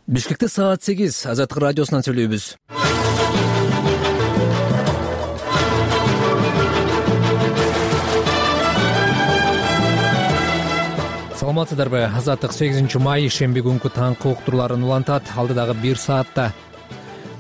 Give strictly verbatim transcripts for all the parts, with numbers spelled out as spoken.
Бишкекте саат сегиз Азаттык радиосунан сүйлөйбүз. Саламатсыздарбы? Азаттык сегизинчи май шемби күнкү таңкы уктурууларын улантат. Алдыдагы бир саатта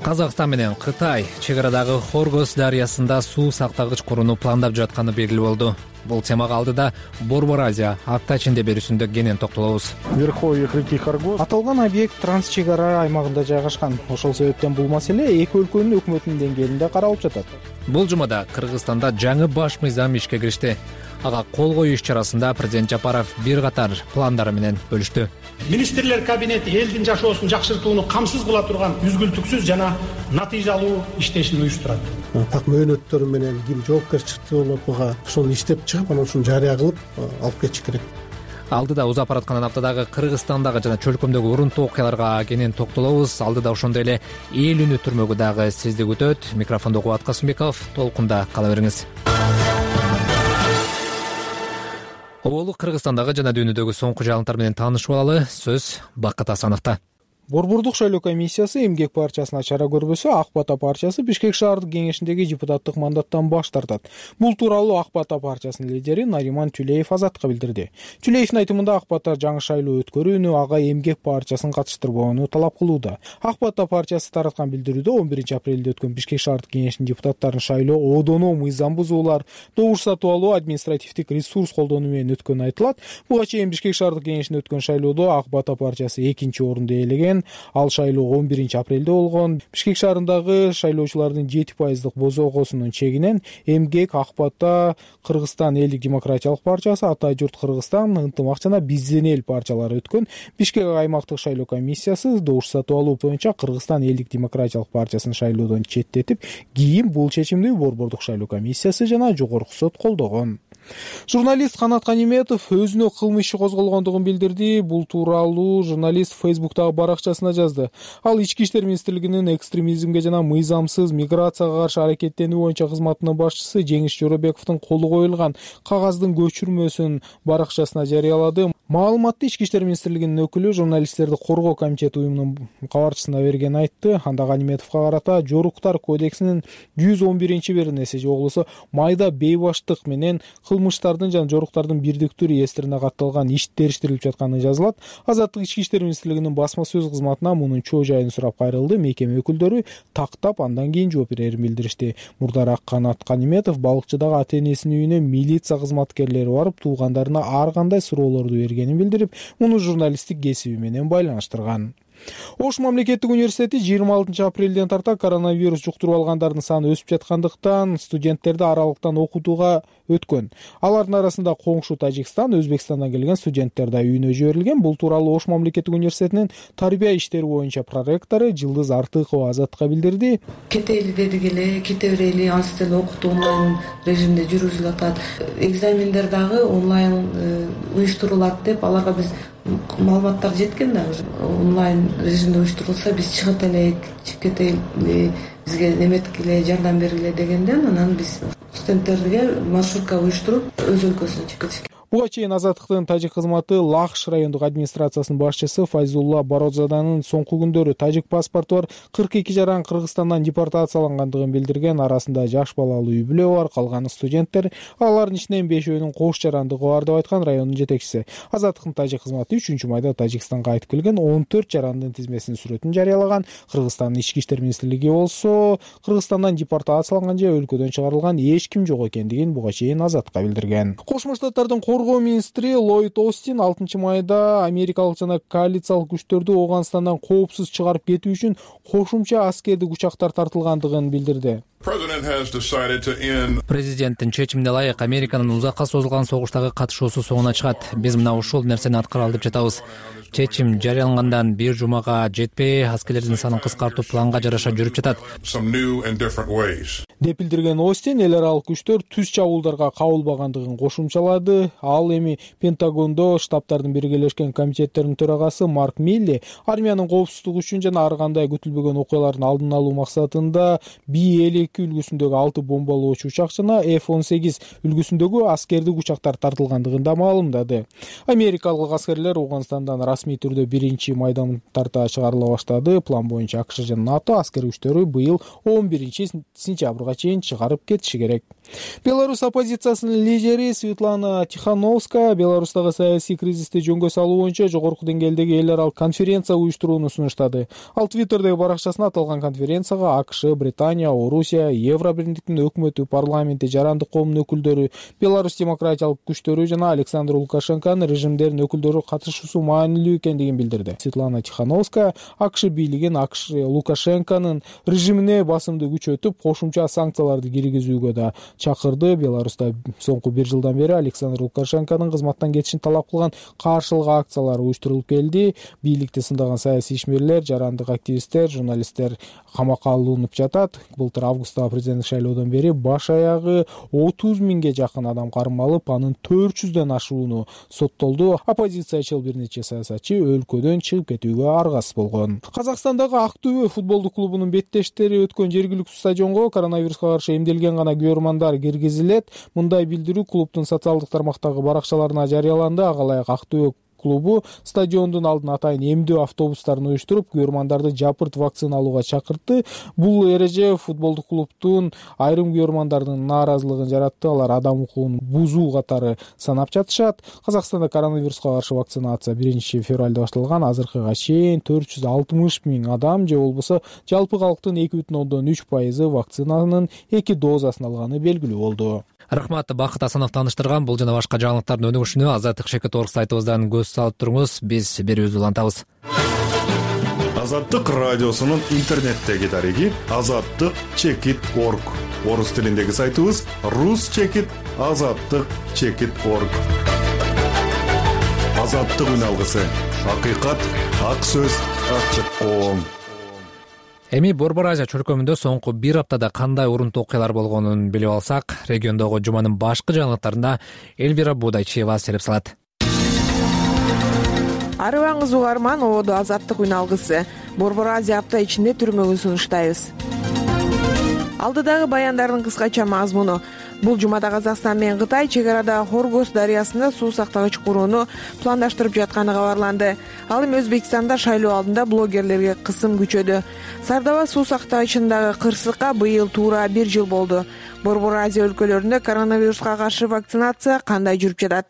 Казакстан менен Кытай чек арадагы Хоргос дарыясында суу сактагыч курууну пландап жатканы белгилүү болду. Бул темага алдыда Борбор Азия апта ичинде берүүсүндө кенен токтолобуз. Верховье реки Хоргос аталган объект транс чек ара аймагында жайгашкан. Ошол себептен бул маселе эки өлкөнүн өкмөтүнүн деңгээлинде каралып жатат. Бул жумада Кыргызстанда жаңы баш мыйзам ишке киришти. Ага кол коюу иш-чарасында президент Жапаров бир катар пландары менен бөлүштү. Министрлер кабинети элдин жашоосун жакшыртууну камсыз кыла турган үзгүлтүксүз жана натыйжалуу иштешин уюштурат. Так мөөнөттөр менен ким жоопкерчиликти болуп буга ошону иштеп чыгып, анан ушуну жарыя кылып алып кетиш керек. Алдыда узап бараткан аптадагы Кыргызстандагы жана чөлкөмдөгү урунтуу окуяларга кенен токтолобуз. Алдыда ошондой эле эл үнү түрмөгү дагы сизди күтөт. Микрофондо Кубат Касымбеков, толкунда кала бериңиз. Оболу Кыргызстандагы жана дүйнөдөгү соңку жаңылыктар менен таанышып алалы. Сөз Бакыт Асановдо. Борбордук шайлоо комиссиясы эмгек партиясына чара көрбөсө, Ак Бата партиясы Бишкек шаардык кеңешиндеги депутаттык мандаттан баш тартат. Бул тууралуу Ак Бата партиясынын лидери Нариман Түлеев Азаттыкка билдирди. Түлеевдин айтымында Ак Бата жаңы шайлоо өткөрүүнү, ага эмгек партиясын катыштырбоону талап кылууда. Ак Бата партиясы тараткан билдирүүдө он биринчи апрелде өткөн Бишкек шаардык кеңешинин депутаттарын шайлоо одоно мыйзам бузуулар, добуш сатып алуу, административдик ресурс колдонуу менен өткөнү айтылат. Буга чейин Бишкек шаардык кеңешинде өткөн шайлоодо Ак Бата партиясы экинчи орунду ээлеген. Ал шайлоо он биринчи апрелде болгон. Бишкек шаарындагы шайлоочулардын жети пайыздык бозокосунун чегинен эмгек, Ак Бата, Кыргызстан элдик демократиялык партиясы, Ата журт Кыргызстан, Ынтымак жана Бизден эл партиялары өткөн. Бишкек аймактык шайлоо комиссиясы добуш сатып алуу боюнча Кыргызстан элдик демократиялык партиясын шайлоодон четтетип, кийин бул чечимди Борбордук шайлоо комиссиясы жана Жогорку сот колдогон. Журналист Канат Каниметов өзүнө кылмыш иши козголгондугун билдирди. Бул тууралуу журналист Фейсбуктагы баракчасына жазды. Ал Ички иштер министрлигинин экстремизмге жана мыйзамсыз миграцияга каршы аракеттенүү боюнча кызматынын башчысы Жеңиш Жоробековдун колу коюлган кагаздын көчүрмөсүн баракчасына жарыялады. Маалыматты Ички иштер министрлигинин өкүлү журналисттерди коргоо комитети уюмунун кабарчысына берген айтты. Анда Каниметовго карата Жоруктар кодексинин жүз он биринчи беренеси же болбосо майда бейбаштык менен кылмыштардын жана жоруктардын бирдиктүү реестрине катталган иш териштирилип жатканы жазылат. Азаттык Ички иштер министрлигинин басма сөз кызматына мунун чоо жайын сурап кайрылды. Мекеме өкүлдөрү тактап андан кийин жооп берерин билдиришти. Мурдараак Канат Каниметов балыкчыдагы ата-энесинин үйүнө милиция кызматкерлери барып, туугандарына ар кандай суроолорду бергенин билдирип, муну журналисттик кесиби менен байланыштырган. Ош мамлекеттик университети жыйырма алтынчы апрелден тарта коронавирус жуктуруп алгандардын саны өсүп жаткандыктан студенттерди аралыктан окутууга өткөн. Алардын арасында коңшу Тажикстан, Өзбекстандан келген студенттер да үйүнө жиберилген. Бул тууралуу Ош мамлекеттик университетинин тарбия иштери боюнча проректору Жылдыз Артыкова Азаттыкка билдирди. Кете эли дедик эле, кете берели, ансы деле окутуу онлайн режимде жүргүзүлүп атат. Экзамендер дагы онлайн уюштурулат деп аларга биз маалыматтар жеткен да. Онлайн режимде уюштурулса биз чыгып элек, кете эли бизге неметкиле, жардам бергиле дегенден анан биз студенттерге маршрутка уюштуруп өз өлкөсүнө чыгып кетишкен. Буга чейин Азаттыктын тажик кызматы Лахш райондук администрациясынын башчысы Файзулла Бородзаданын соңку күндөрү тажик паспорту бар кырк эки жаран Кыргызстандан депортациялангандыгын билдирген. Арасында жаш балалуу үй бүлө бар, калганы студенттер. Алардын ичинен бешөөнүн кош жарандыгы бар деп айткан райондун жетекчиси. Азаттыктын тажик кызматы үчүнчү майда Тажикстанга кайтып келген он төрт жарандын тизмесинин сүрөтүн жарыялаган. Кыргызстандын ички иштер министрлиги болсо Кыргызстандан депортацияланган же өлкөдөн чыгарылган эч ким жок экендигин буга чейин Азаттыкка билдирген. Кошмо Штаттардын коргоо министри Ллойд Остин алтынчы майда америкалык жана коалициялык күчтөрдү Ооганстандан коопсуз чыгарып кетүү үчүн кошумча аскердик учактар тартылгандыгын билдирди. Президенттин чечимине ылайык Американын узакка созулган согуштагы катышуусу соңуна чыгат. Биз мына ушул нерсени аткаралы деп жатабыз. Чечим жарыялангандан бир жумага жетпей, аскерлердин санын кыскартуу планга жараша жүрүп жатат. деп билдирген Остин эл аралык күчтөр түз чабуулдарга кабылбагандыгын кошумчалады. Ал эми Пентагондо штабтардын биргелешкен комитеттеринин төрагасы Марк Милли армиянын коопсуздугу үчүн жана ар кандай күтүлбөгөн окуялардын алдын алуу максатында Би элүү эки үлгүсүндөгү алты бомбалоочу учак жана эф он сегиз үлгүсүндөгү аскердик учактар тартылгандыгын да маалымдады. Америкалык аскерлер Ауганстандан расмий түрдө биринчи майдан тарта чыгарыла баштады. План боюнча АКШ жана НАТО аскер күчтөрү быйыл он биринчи сентябрга чейин чыгарып кетиши керек. Беларусь оппозициясынын лидери Светлана Тихановская Беларустагы саясий кризисти жөнгө салуу боюнча жогорку деңгээлдеги эл аралык конференция уюштурууну сунуштады. Ал Твиттердеги баракчасына аталган конференцияга АКШ, Британия, Орусия, Евробирликтин өкмөтү, парламенти, жарандык коомдун өкүлдөрү, Беларусь демократиялык күчтөрү жана Александр Лукашенконун режимдеринин өкүлдөрү катышуусу маанилүү экендигин билдирди. Светлана Тихановская АКШ бийлигин АКШ Лукашенконун режимине басымды күчөтүп, кошумча санкцияларды киргизүүгө да чакырды. Беларуста соңку бир жылдан бери Александр Лукашенконун кызматтан кетишин талап кылган каршылык акциялар уюштурулуп келди. Бийликти сындаган саясий ишмерлер, жарандык активисттер, журналисттер камакка алынып жатат. Былтыр августтагы президенттик шайлоодон бери баш аягы отуз миңге жакын адам кармалып, анын төрт жүздөн ашууну соттолду. Оппозициячыл бир нече саясатчы өлкөдөн чыгып кетүүгө аргасыз болгон. Казакстандагы Актөбө футболдук клубунун беттештери өткөн жергиликтүү стадионго коронавируска каршы эмделген гана көрмандар киргизилет. Мындай билдирүү клубдун социалдык тармактагы баракчаларына жарыяланды. Ага ылайык Актөбө клубу стадиондун алдына атайын эмдөө автобустарын уюштуруп, көрмандарды жапырт вакцина алууга чакыртты. Бул эреже футболдук клубдун айрым көрмандардын нааразылыгын жаратты. Алар адам укугун бузуу катары санап жатышат. Казакстанда коронавируска каршы вакцинация биринчи февралда башталган. Азыркыга чейин төрт жүз алтымыш миң адам же болбосо жалпы калктын эки бүтүн ондон үч пайызы вакцинанын эки дозасын алганы белгилүү болду. Рахмат, Бакыт Асанов тааныштырган. Бул жана башка жаңылыктардын өнүгүшүнө Азаттык Шекет орг сайтыбыздан көз салып туруңуз. Биз берүүбүздү улантабыз. Азаттык радиосунун интернеттеги дареги азаттык чекит точка орг. Орус тилиндеги сайтыбыз рус чекит азаттык чекит точка орг. Азаттык үн алгысы. Акыйкат, ак сөз, ачык коом. Эми Борбор Азия чөлкөмүндө соңку бир аптада кандай урунтуу окуялар болгонун билип алсак, региондогу жуманын башкы жаңылыктарында Эльвира Будайчиева сереп салат. Арыбаңыз угарман, ободу азаттык үн алгысы. Борбор Азия апта ичинде түрмөгүн сунуштайбыз. Алдыдагы баяндардын кыскача мазмуну. Бул жумада Казакстан менен Кытай чек арада Хоргос дарыясында суу сактагыч курууну пландаштырып жатканы кабарланды. Ал эми Өзбекстанда шайлоо алдында блогерлерге кысым күчөдү. Сардаба суу сактагычындагы кырсыкка быйыл туура бир жыл болду. Борбор Азия өлкөлөрүндө коронавируска каршы вакцинация кандай жүрүп жатат?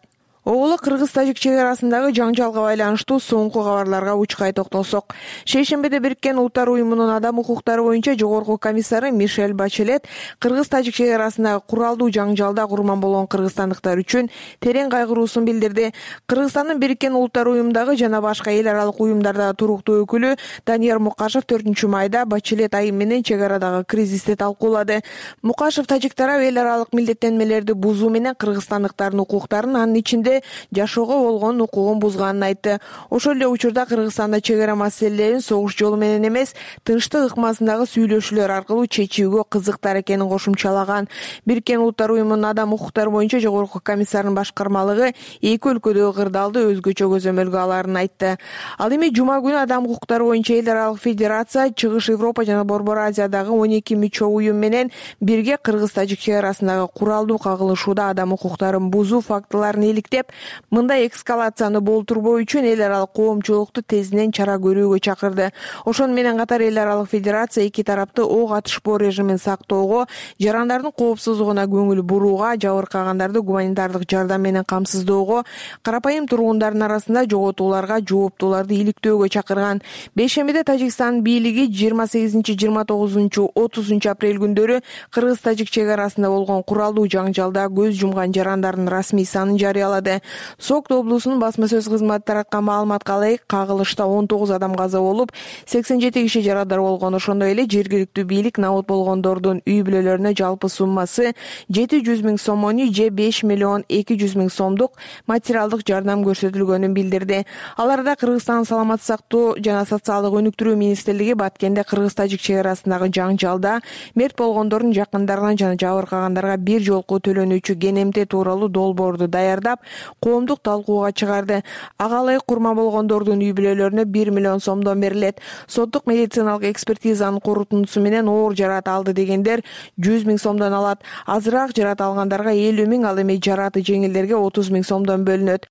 Оолу Кыргыз-Тажик чек арасындагы жаңжалга байланыштуу соңку кабарларга учкай токтолсок. Шейшембиде Бириккен Улуттар уюмунун адам укуктары боюнча жогорку комиссары Мишель Бачелет Кыргыз-Тажик чек арасындагы куралдуу жаңжалда курман болгон кыргызстандыктар үчүн терең кайгыруусун билдирди. Кыргызстандын Бириккен Улуттар уюмундагы жана башка эл аралык уюмдарда туруктуу өкүлү Данияр Мукашев төртүнчү майда Бачелет айым менен чек арадагы кризисти талкуулады. Мукашев тажик тарап эл аралык милдеттенмелерди бузуу менен кыргызстандыктардын укуктарын, анын ичинде жашоого болгон укугун бузганын айтты. Ошол эле учурда Кыргызстанда чек ара маселелерин согуш жолу менен эмес, тынчтык ыкмасындагы сүйлөшүүлөр аркылуу чечүүгө кызыктар экенин кошумчалаган. Бириккен Улуттар уюмунун адам укуктары боюнча жогорку комиссарынын башкармалыгы эки өлкөдөгү кырдаалды өзгөчө көзөмөлгө аларын айтты. Ал эми жума күнү адам укуктары боюнча эл аралык федерация, Чыгыш Европа жана Борбор Азиядагы он эки мүчө уюм менен бирге Кыргыз-Тажик чек арасындагы куралдуу кагылышууда адам укуктарын бузуу фактыларын иликтеп, мындай эскалацияны болтурбоо үчүн эл аралык коомчулукту тезинен чара көрүүгө чакырды. Ошону менен катар эл аралык федерация эки тарапты ок атышпоо режимин сактоого, жарандардын коопсуздугуна көңүл бурууга, жабыркагандарды гуманитардык жардам менен камсыздоого, карапайым тургундардын арасында жоготууларга жооптууларды иликтөөгө чакырган. Бейшембиде Тажикстан бийлиги жыйырма сегизинчи, жыйырма тогузунчу, отузунчу апрель күндөрү Кыргыз-Тажик чек арасында болгон куралдуу жаңжалда көз жумган жарандардын расмий санын жарыялады. билдирди. Сокто облусунун басма сөз кызматы тараткан маалыматка ылайык, кагылышта он тогуз адам каза болуп, сексен жети киши жарадар болгон. Ошондой эле жергиликтүү бийлик набут болгондордун үй бүлөлөрүнө жалпы суммасы жети жүз миң сомону же беш миллион эки жүз миң сомдук материалдык жардам көрсөтүлгөнүн билдирди. Аларда Кыргызстан саламаттык сактоо жана социалдык өнүктүрүү министрлиги Баткенде кыргыз-тажик чек арасындагы жаңжалда мерт болгондордун жакындарына жана жабыркагандарга бир жолку төлөнүүчү кенемте тууралуу долбоорду даярдап, коомдук талкууга чыгарды. Ага ылайык курман болгондордун үй бүлөлөрүнө бир миллион сомдон берилет. Соттук медициналык экспертизанын корутундусу менен оор жарат алды дегендер жүз миң сомдон алат. Азыраак жарат алгандарга элүү миң, ал эми жараты жеңилдерге отуз миң сомдон бөлүнөт.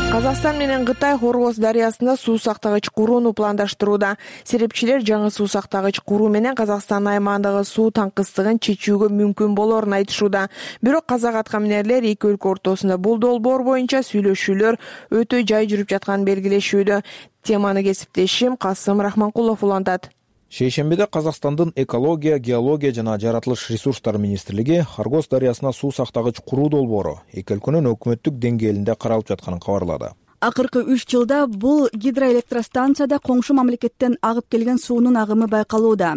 Казакстан менен Кытай Хоргоз дарыясында суу сактагыч курууну пландаштырууда. Серепчилер жаңы суу сактагыч куруу менен Казакстан аймагындагы суу таңкыстыгын чечүүгө мүмкүн болоорун айтышууда. Бирок казак аткаминерлер эки өлкө ортосунда бул долбоор боюнча сүйлөшүүлөр өтө жай жүрүп жатканын белгилешүүдө. Теманы кесиптешим Касым Рахманкулов улантат. Шейшембиде Казакстандын экология, геология жана жаратылыш ресурстары министрлиги Хоргоз дарыясына суу сактагыч куруу долбоору эки өлкөнүн өкмөттүк деңгээлинде каралып жатканын кабарлады. Акыркы үч жылда бул гидроэлектростанцияда коңшу мамлекеттен агып келген суунун агымы байкалууда.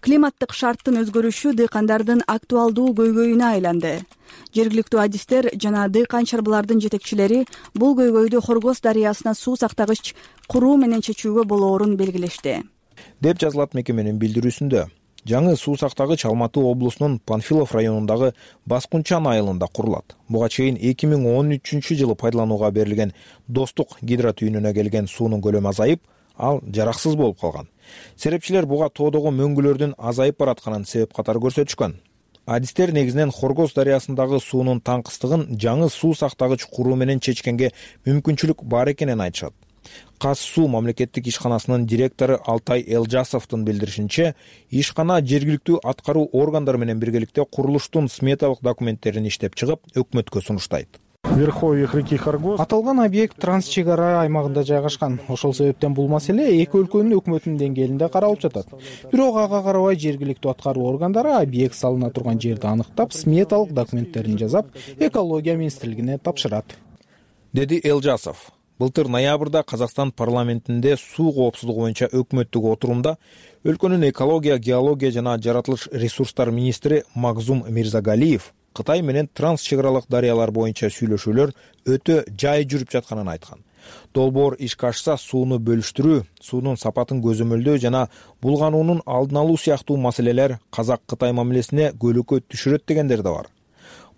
Климаттык шарттын өзгөрүшү дыйкандардын актуалдуу көйгөйүнө айланды. Жергиликтүү адистер жана дыйкан чарбалардын жетекчилери бул көйгөйдү Хоргоз дарыясына суу сактагыч куруу менен чечүүгө болоорун белгилешти, деп жазылат мекеменин билдирүүсүндө. Жаңы суу сактагыч Алматы облусунун Панфилов районундагы Баскунчан айылында курулат. Буга чейин эки миң он үчүнчү жылы пайдаланууга берилген Достук гидротүйүнүнө келген суунун көлөмү азайып, ал жараксыз болуп калган. Серепчилер буга тоодогу мөңгүлөрдүн азайып баратканын себеп катары көрсөтүшкөн. Адистер негизинен Хоргоз дарыясындагы суунун таңкыстыгын жаңы суу сактагыч куруу менен чечкенге мүмкүнчүлүк бар экенин айтышат. Каз суу мамлекеттик ишканасынын директору Алтай Элжасовдун билдиришинче, ишкана жергиликтүү аткаруу органдары менен биргеликте курулуштун сметалык документтерин иштеп чыгып, өкмөткө сунуштайт. Верховьях реки Хоргоз аталган объект транс чек ара аймагында жайгашкан. Ошол себептен бул маселе эки өлкөнүн өкмөтүнүн деңгээлинде каралып жатат. Бирок ага карабай жергиликтүү аткаруу органдары объект салына турган жерди аныктап, сметалык документтерин жасап, экология министрлигине тапшырат, деди Элжасов. Былтыр ноябрда Казакстан парламентинде суу коопсуздугу боюнча өкмөттүк отурумда өлкөнүн экология, геология жана жаратылыш ресурстар министри Магзум Мирзагалиев Кытай менен транс чек аралык дарыялар боюнча сүйлөшүүлөр өтө жай жүрүп жатканын айткан. Долбоор ишке ашса, сууну бөлүштүрүү, суунун сапатын көзөмөлдөө жана булгануунун алдын алуу сыяктуу маселелер Казак-Кытай мамилесине көлөкө түшүрөт дегендер да бар.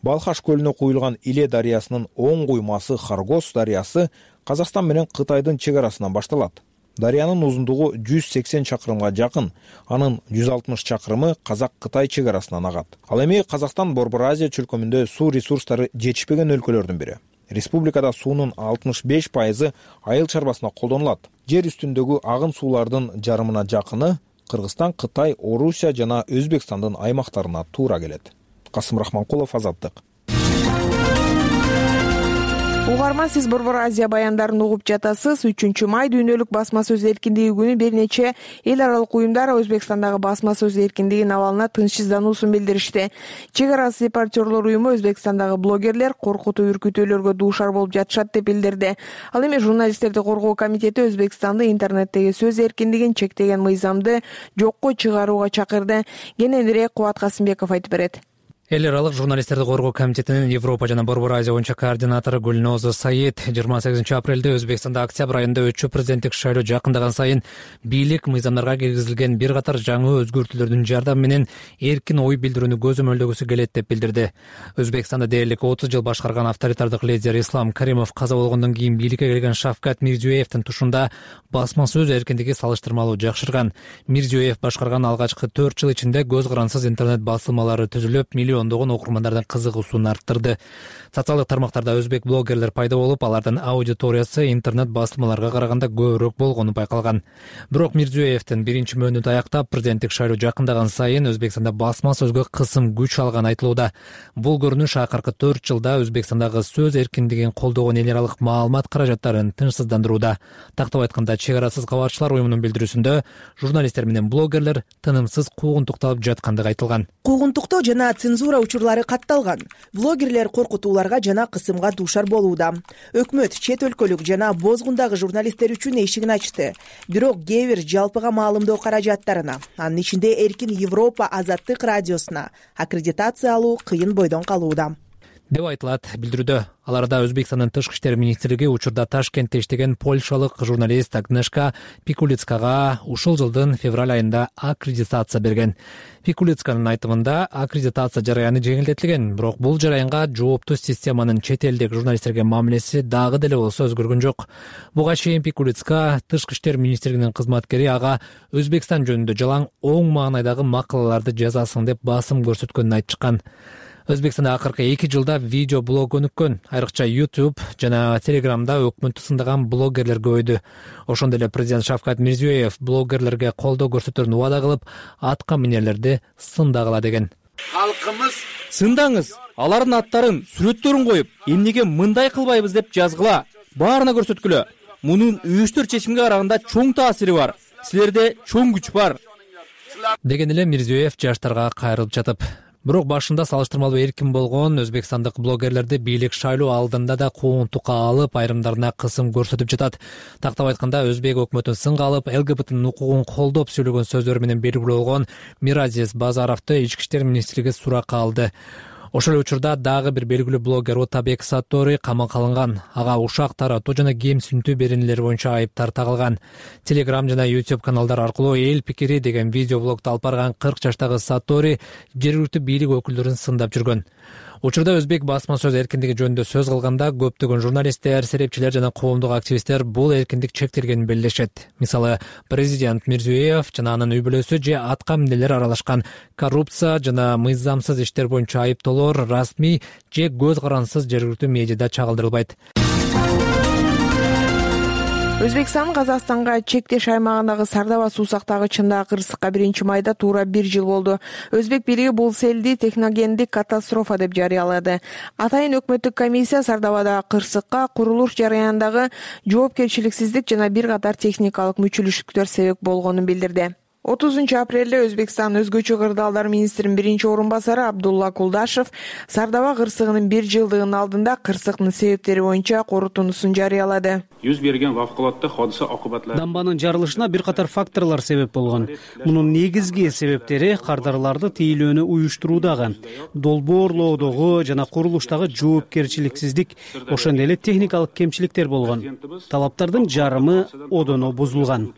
Балхаш көлүнө куюлган Иле дарыясынын оң куймасы Хоргоз дарыясы Казакстан менен Кытайдын чек арасынан башталат. Дарыянын узундугу жүз сексен чакырымга жакын, анын жүз алтымыш чакырымы Казак-Кытай чек арасынан агат. Ал эми Казакстан Борбор Азия чөлкөмүндө суу ресурстары жетишпеген өлкөлөрдүн бири. Республикада суунун алтымыш беш пайызы айыл чарбасына колдонулат. Жер үстүндөгү агын суулардын жарымына жакыны Кыргызстан, Кытай, Орусия жана Өзбекстандын аймактарына туура келет. Касым Рахманкулов, Азаттык. Угарман, сиз Борбор Азия баяндарын угуп жатасыз. үчүнчү май дүйнөлүк басма сөз эркиндиги күнү бир нече эл аралык уюмдар Өзбекстандагы басма сөз эркиндигинин абалына тынчсыздануусун билдиришти. Чек ара сепартерлор уюму Өзбекстандагы блогерлер коркутуу үркүтүүлөргө дуушар болуп жатышат деп билдирди. Ал эми журналисттерди коргоо комитети Өзбекстанды интернеттеги сөз эркиндигин чектеген мыйзамды жокко чыгарууга чакырды. Кененирээк Кубат Касымбеков айтып берет. Эл аралык журналисттерди коргоо комитетинин Европа жана Борбор Азия боюнча координатору Гүлнозу Саид жыйырма сегизинчи апрелде Өзбекстанда октябрь айында өтчү президенттик шайлоо жакындаган сайын бийлик мыйзамдарга киргизилген бир катар жаңы өзгөртүүлөрдүн жардамы менен эркин ой билдирүүнү көзөмөлдөгүсү келет деп билдирди. Өзбекстанда дээрлик отуз жыл башкарган авторитардык лидер Ислам Каримов каза болгондон кийин бийликке келген Шавкат Мирзиёевдин тушунда басма сөз эркиндиги салыштырмалуу жакшырган. Мирзиёев башкарган алгачкы төрт жыл ичинде көз карансыз интернет басылмалары түзүлүп, миллиондогон окурмандардын кызыгуусун арттырды. Социалдык тармактарда өзбек блогерлер пайда болуп, алардын аудиториясы интернет басылмаларга караганда көбүрөөк болгону байкалган. Бирок Мирзиёевдин биринчи мөөнөтү аяктап, президенттик шайлоо жакындаган сайын Өзбекстанда басма сөзгө кысым күч алганы айтылууда. Бул көрүнүш акыркы төрт жылда Өзбекстандагы сөз эркиндигин колдогон эл аралык маалымат каражаттарын тынчсыздандырууда. Тактап айтканда, чек арасыз кабарчылар уюмунун билдирүүсүндө журналисттер менен блогерлер тынымсыз куугунтукталып жаткандыгы айтылган. Куугунтуктоо жана цензура цензура учурлары катталган. Блогерлер коркутууларга жана кысымга дуушар болууда. Өкмөт чет өлкөлүк жана бозгундагы журналисттер үчүн эшигин ачты. Бирок кээ бир жалпыга маалымдоо каражаттарына, анын ичинде Эркин Европа Азаттык радиосуна аккредитация алуу кыйын бойдон калууда деп айтылат билдирүүдө. Ал арада Өзбекстандын тышкы иштер министрлиги учурда Ташкентте иштеген польшалык журналист Агнешка Пикулицкага ушул жылдын февраль айында аккредитация берген. Пикулицканын айтымында аккредитация жараяны жеңилдетилген, бирок бул жараянга жооптуу системанын чет элдик журналисттерге мамилеси дагы деле болсо өзгөргөн жок. Буга чейин Пикулицка тышкы иштер министрлигинин кызматкери ага Өзбекстан жөнүндө жалаң оң маанайдагы макалаларды жазасың деп басым көрсөткөнүн айтышкан. Өзбекстанда акыркы эки жылда видео блог өнүккөн, айрыкча YouTube жана Telegramда өкмөттү сындаган блогерлер көбөйдү. Ошондой эле президент Шавкат Мирзиёев блогерлерге колдоо көрсөтөрүн убада кылып, атка минерлерди сындагыла деген. Халкыбыз сындаңыз, алардын аттарын, сүрөттөрүн коюп, эмнеге мындай кылбайбыз деп жазгыла, баарына көрсөткүлө. Мунун үйүштөр чечимге караганда чоң таасири бар. Силерде чоң күч бар. Деген эле Мирзиёев жаштарга кайрылып жатып. Бирок башында салыштырмалуу эркин болгон өзбекстандык блогерлерди бийлик шайлоо алдында да куугунтукка алып, айрымдарына кысым көрсөтүп жатат. Тактап айтканда, өзбек өкмөтүн сынга алып, ЛГБТнын укугун колдоп сөйлөгөн сөздөрү менен белгилүү болгон Миразиз Базаровду ички иштер министрлиги суракка алды. Ошол учурда дагы бир белгилүү блогер Отабек Саттори камакка алынган. Ага ушак таратуу жана кемсинтүү беренелери боюнча айыптар тагылган. Telegram жана YouTube каналдар аркылуу эл пикири деген видеоблогду алып барган кырк жаштагы Саттори жергиликтүү бийлик өкүлдөрүн сындап жүргөн. Учурда өзбек басма сөз эркиндиги жөнүндө сөз кылганда көптөгөн журналисттер, серепчилер жана коомдук активисттер бул эркиндик чектелгенин белгилешет. Мисалы, президент Мирзиёев жана анын үй-бүлөсү же атка минерлер аралашкан коррупция жана мыйзамсыз иштер боюнча айыптоолор расмий же көз карансыз жергиликтүү медиада чагылдырылбайт. Өзбекстан Казакстанга чектеш аймагындагы Сардаба суу сактагычында кырсыкка биринчи майда туура бир жыл болду. Өзбек бийлиги бул селди техногендик катастрофа деп жарыялады. Атайын өкмөттүк комиссия Сардабадагы кырсыкка курулуш жараянындагы жоопкерчиликсиздик жана бир катар техникалык мүчүлүштүктөр себеп болгонун билдирди. отузунчу апрелде Өзбекстан өзгөчө кырдаалдар министринин биринчи орун басары Абдулла Кулдашев Сардаба кырсыгынын бир жылдыгынын алдында кырсыктын себептери боюнча корутундусун жарыялады. Жүз берген вавкулатта hodisa окубатлары. Дамбанын жарылышына бир катар факторлор себеп болгон. Мунун негизги себептери кардарларды тейлөөнү уюштуруудагы, долбоорлоодогу жана курулуштагы жоопкерчиликсиздик, ошондой эле техникалык кемчиликтер болгон. Талаптардын жарымы одоно бузулган,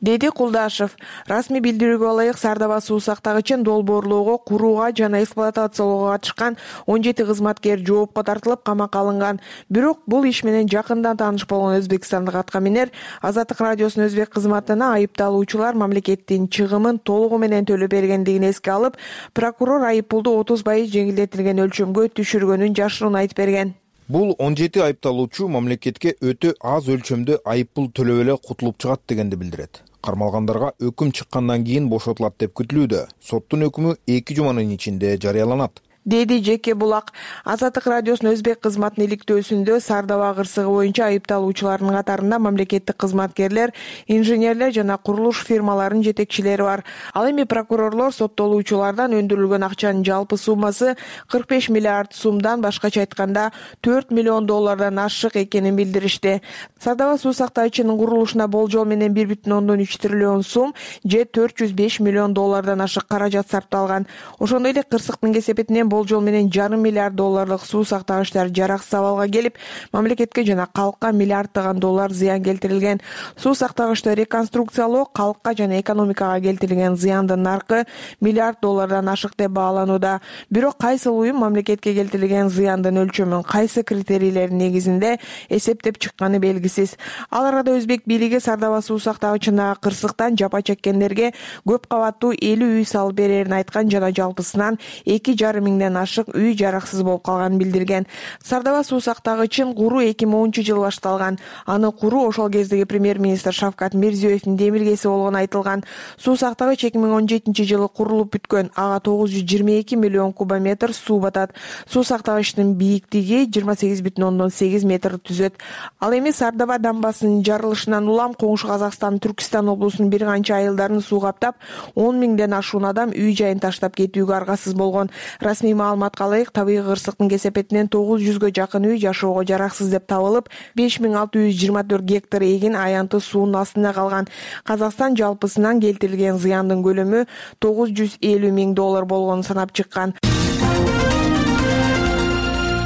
деди Кулдашев. Расмий билдирүүгө ылайык, Сардаба суу сактагычын долбоорлоого, курууга жана эксплуатациялоого катышкан он жети кызматкер жоопко тартылып, камакка алынган. Бирок бул иш менен жакындан тааныш болгон өзбекстандык атка минер Азаттык радиосунун өзбек кызматына айыпталуучулар мамлекеттин чыгымын толугу менен төлөп бергендигин эске алып, прокурор айыппулду отуз пайыз жеңилдетилген өлчөмгө түшүргөнүн жашыруун айтып берген. Бул он жети айыпталуучу мамлекетке өтө аз өлчөмдө айыппул төлөп эле кутулуп чыгат дегенди билдирет. Кармалгандарга өкүм чыккандан кийин бошотулат деп күтүлүүдө. Соттун өкүмү эки жуманын ичинде жарыяланат, деди Жеке Булак. Азаттык радиосунун өзбек кызматынын иликтөөсүндө Сардаба кырсыгы боюнча айыпталуучулардын катарында мамлекеттик кызматкерлер, инженерлер жана курулуш фирмаларынын жетекчилери бар. Ал эми прокурорлор соттолуучулардан өндүрүлгөн акчанын жалпы суммасы кырк беш миллиард сумдан, башкача айтканда төрт миллион доллардан ашык экенин билдиришти. Сардаба суу сактагычынын курулушуна болжол менен бир бүтүн ондон үч триллион сум же төрт жүз беш миллион доллардан ашык каражат сарпталган. Ошондой эле кырсыктын кесепетинен болжол менен жарым миллиард долларлык суу сактагычтар жараксыз абалга келип, мамлекетке жана калкка миллиарддаган доллар зыян келтирилген. Суу сактагычты реконструкциялоо калкка жана экономикага келтирилген зыяндын наркы миллиард доллардан ашык деп бааланууда. Бирок кайсыл уюм мамлекетке келтирилген зыяндын өлчөмүн кайсы критерийлердин негизинде эсептеп чыкканы белгисиз. Ал арада өзбек бийлиги Сардаба суу сактагычындагы кырсыктан жапа чеккендерге көп кабаттуу элүү үй салып берерин айткан жана жалпысынан эки жарым миңден миңден ашык үй жараксыз болуп калганын билдирген. Сардаба суу сактагычын куруу эки миң онунчу жылы башталган. Аны куруу ошол кездеги премьер-министр Шавкат Мирзиёевдин демилгеси болгону айтылган. Суу сактагыч эки миң он жетинчи жылы курулуп бүткөн. Ага тогуз жүз жыйырма эки миллион кубометр суу батат. Суу сактагычтын бийиктиги жыйырма сегиз бүтүн ондон сегиз метр түзөт. Ал эми Сардаба дамбасынын жарылышынан улам коңшу Казакстан Түркистан облусунун бир канча айылдарын суу каптап, он миңден ашуун адам үй жайын таштап кетүүгө аргасыз болгон. Расмий маалыматка ылайык, табигый кырсыктын кесепетинен тогуз жүзгө жакын үй жашоого жараксыз деп табылып, беш миң алты жүз жыйырма төрт гектар эгин аянты суунун астында калган. Казакстан жалпысынан келтирилген зыяндын көлөмү тогуз жүз элүү миң доллар болгонун санап чыккан.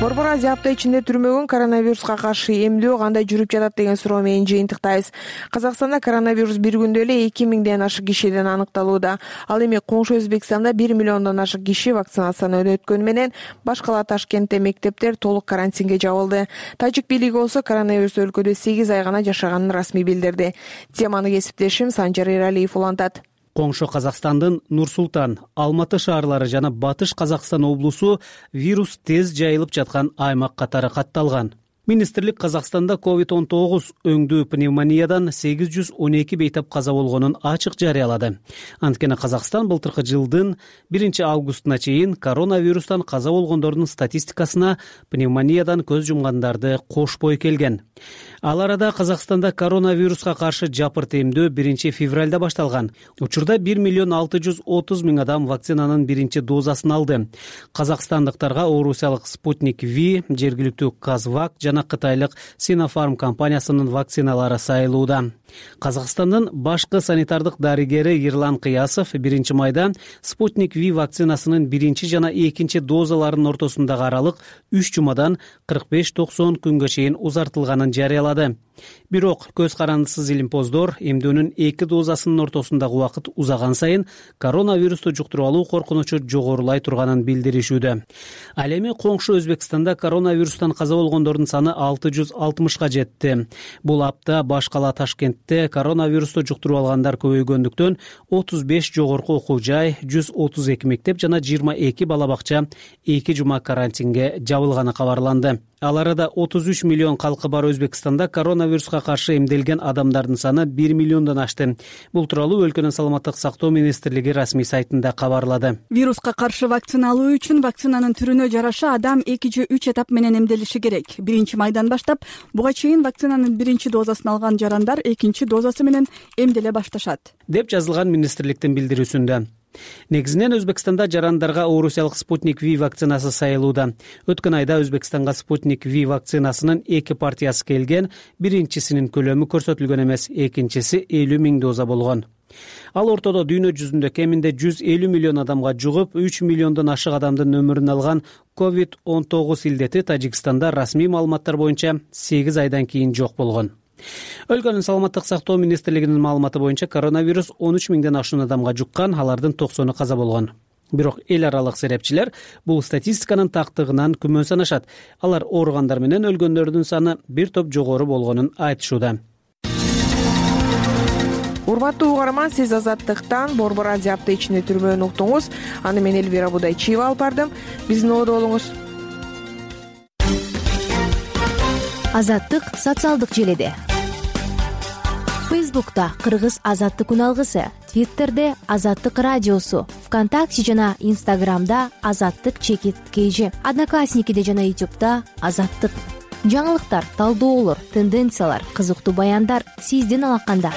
Борбор Азия апта ичинде түрмөгөн коронавируска каршы эмдөө кандай жүрүп жатат деген суроо менен жыйынтыктайбыз. Казакстанда коронавирус бир күндө эле эки миңден ашык кишиден аныкталууда. Ал эми коңшу Өзбекстанда бир миллиондон ашык киши вакцинацияны өткөнү менен башкала Ташкентте мектептер толук карантинге жабылды. Тажик бийлиги болсо коронавирус өлкөдө сегиз ай гана жашаганын расмий билдирди. Теманы кесиптешим Санжар Эралиев улантат. Коңшу Казакстандын Нур-Султан, Алматы шаарлары жана Батыш Казакстан облусу вирус тез жайылып жаткан аймак катары катталган. Министрлик Казакстанда ковид он тогуз өңдүү пневмониядан сегиз жүз он эки бейтап каза болгонун ачык жарыялады. Анткени Казакстан былтыркы жылдын биринчи августуна чейин коронавирустан каза болгондордун статистикасына пневмониядан көз жумгандарды кошпой келген. Ал арада Казакстанда коронавируска каршы жапырт эмдөө биринчи февралда башталган. Учурда бир миллион алты жүз отуз миң адам вакцинанын биринчи дозасын алды. Казакстандыктарга орусиялык Спутник Ви, жергиликтүү Казвак жана кытайлык Sinopharm компаниясынын вакциналары сайылууда. Казакстандын башкы санитардык дарыгери Ерлан Кыясов биринчи майда Спутник Ви вакцинасынын биринчи жана экинчи дозаларынын ортосундагы аралык үч жумадан кырк беш токсон күнгө чейин узартылганын жарыялады. Бирок көз карандысыз илимпоздор эмдөөнүн эки дозасынын ортосундагы убакыт узаган сайын коронавирусту жуктуруп алуу коркунучу жогорулай турганын билдиришүүдө. Ал эми коңшу Өзбекстанда коронавирустан каза болгондордун саны алты жүз алтымышка жетти. Бул апта башкала Ташкентте коронавирусту жуктуруп алгандар көбөйгөндүктөн отуз беш жогорку окуу жай, жүз отуз эки мектеп жана жыйырма эки бала бакча эки жума карантинге жабылганы кабарланды. Ал арада отуз үч миллион калкы бар Өзбекстанда коронавируска каршы эмделген адамдардын саны бир миллиондон ашты. Бул тууралуу өлкөнүн саламаттык сактоо министрлиги расмий сайтында кабарлады. Вируска каршы вакцина алуу үчүн вакцинанын түрүнө жараша адам эки же үч этап менен эмделиши керек. Биринчи майдан баштап буга чейин вакцинанын биринчи дозасын алган жарандар экинчи дозасы менен эмделе башташат, деп жазылган министрликтин билдирүүсүндө. Негизинен Өзбекстанда жарандарга орусиялык Спутник Ви вакцинасы сайылууда. Өткөн айда Өзбекстанга Спутник Ви вакцинасынын эки партиясы келген, биринчисинин көлөмү көрсөтүлгөн эмес, экинчиси элүү миң доза болгон. Ал ортодо дүйнө жүзүндө кеминде жүз элүү миллион адамга жугуп, үч миллиондон ашык адамдын өмүрүн алган ковид он тогуз илдети Тажикстанда расмий маалыматтар боюнча сегиз айдан кийин жок болгон. Өлкөнүн саламаттык сактоо министрлигинин маалыматы боюнча коронавирус он үч миңден ашуун адамга жуккан, алардын токсону каза болгон. Бирок эл аралык серепчилер бул статистиканын тактыгынан күмөн санашат. Алар ооругандар менен өлгөндөрдүн саны бир топ жогору болгонун айтышууда. Урматтуу угарман, сиз Азаттыктан Борбор Азия апта ичинде түрмөөнү уктуңуз. Аны мен Элвира Будайчиева алып бардым. Биздин ободо болуңуз. Азаттык социалдык желиде. Фейсбукта Кыргыз Азаттык үналгысы, Твиттерде Азаттык радиосу, ВКонтакте жана Инстаграмда Азаттык чекит кейжи, Одноклассникиде жана Ютубта Азаттык. Жаңылыктар, талдоолор, тенденциялар, кызыктуу баяндар сиздин алаканда.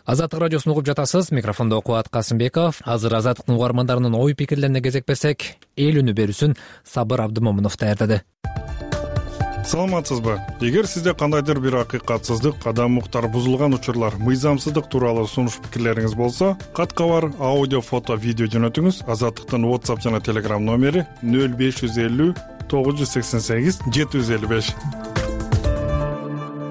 Азаттык радиосун угуп жатасыз. Микрофондо Кубат Касымбеков. Азыр Азаттыктын угармандарынын ой пикирлерине кезек берсек, эл үнү берүүсүн Сабыр Абдымомунов даярдады. Саламатсызбы? Эгер сизде кандайдыр бир акыйкатсыздык, адам укуктары бузулган учурлар, мыйзамсыздык тууралуу сунуш пикирлериңиз болсо, кат-кабар, аудио, фото, видео жөнөтүңүз. Азаттыктын WhatsApp жана Telegram номери нөл беш жүз элүү тогуз жүз сексен сегиз жети жүз элүү беш.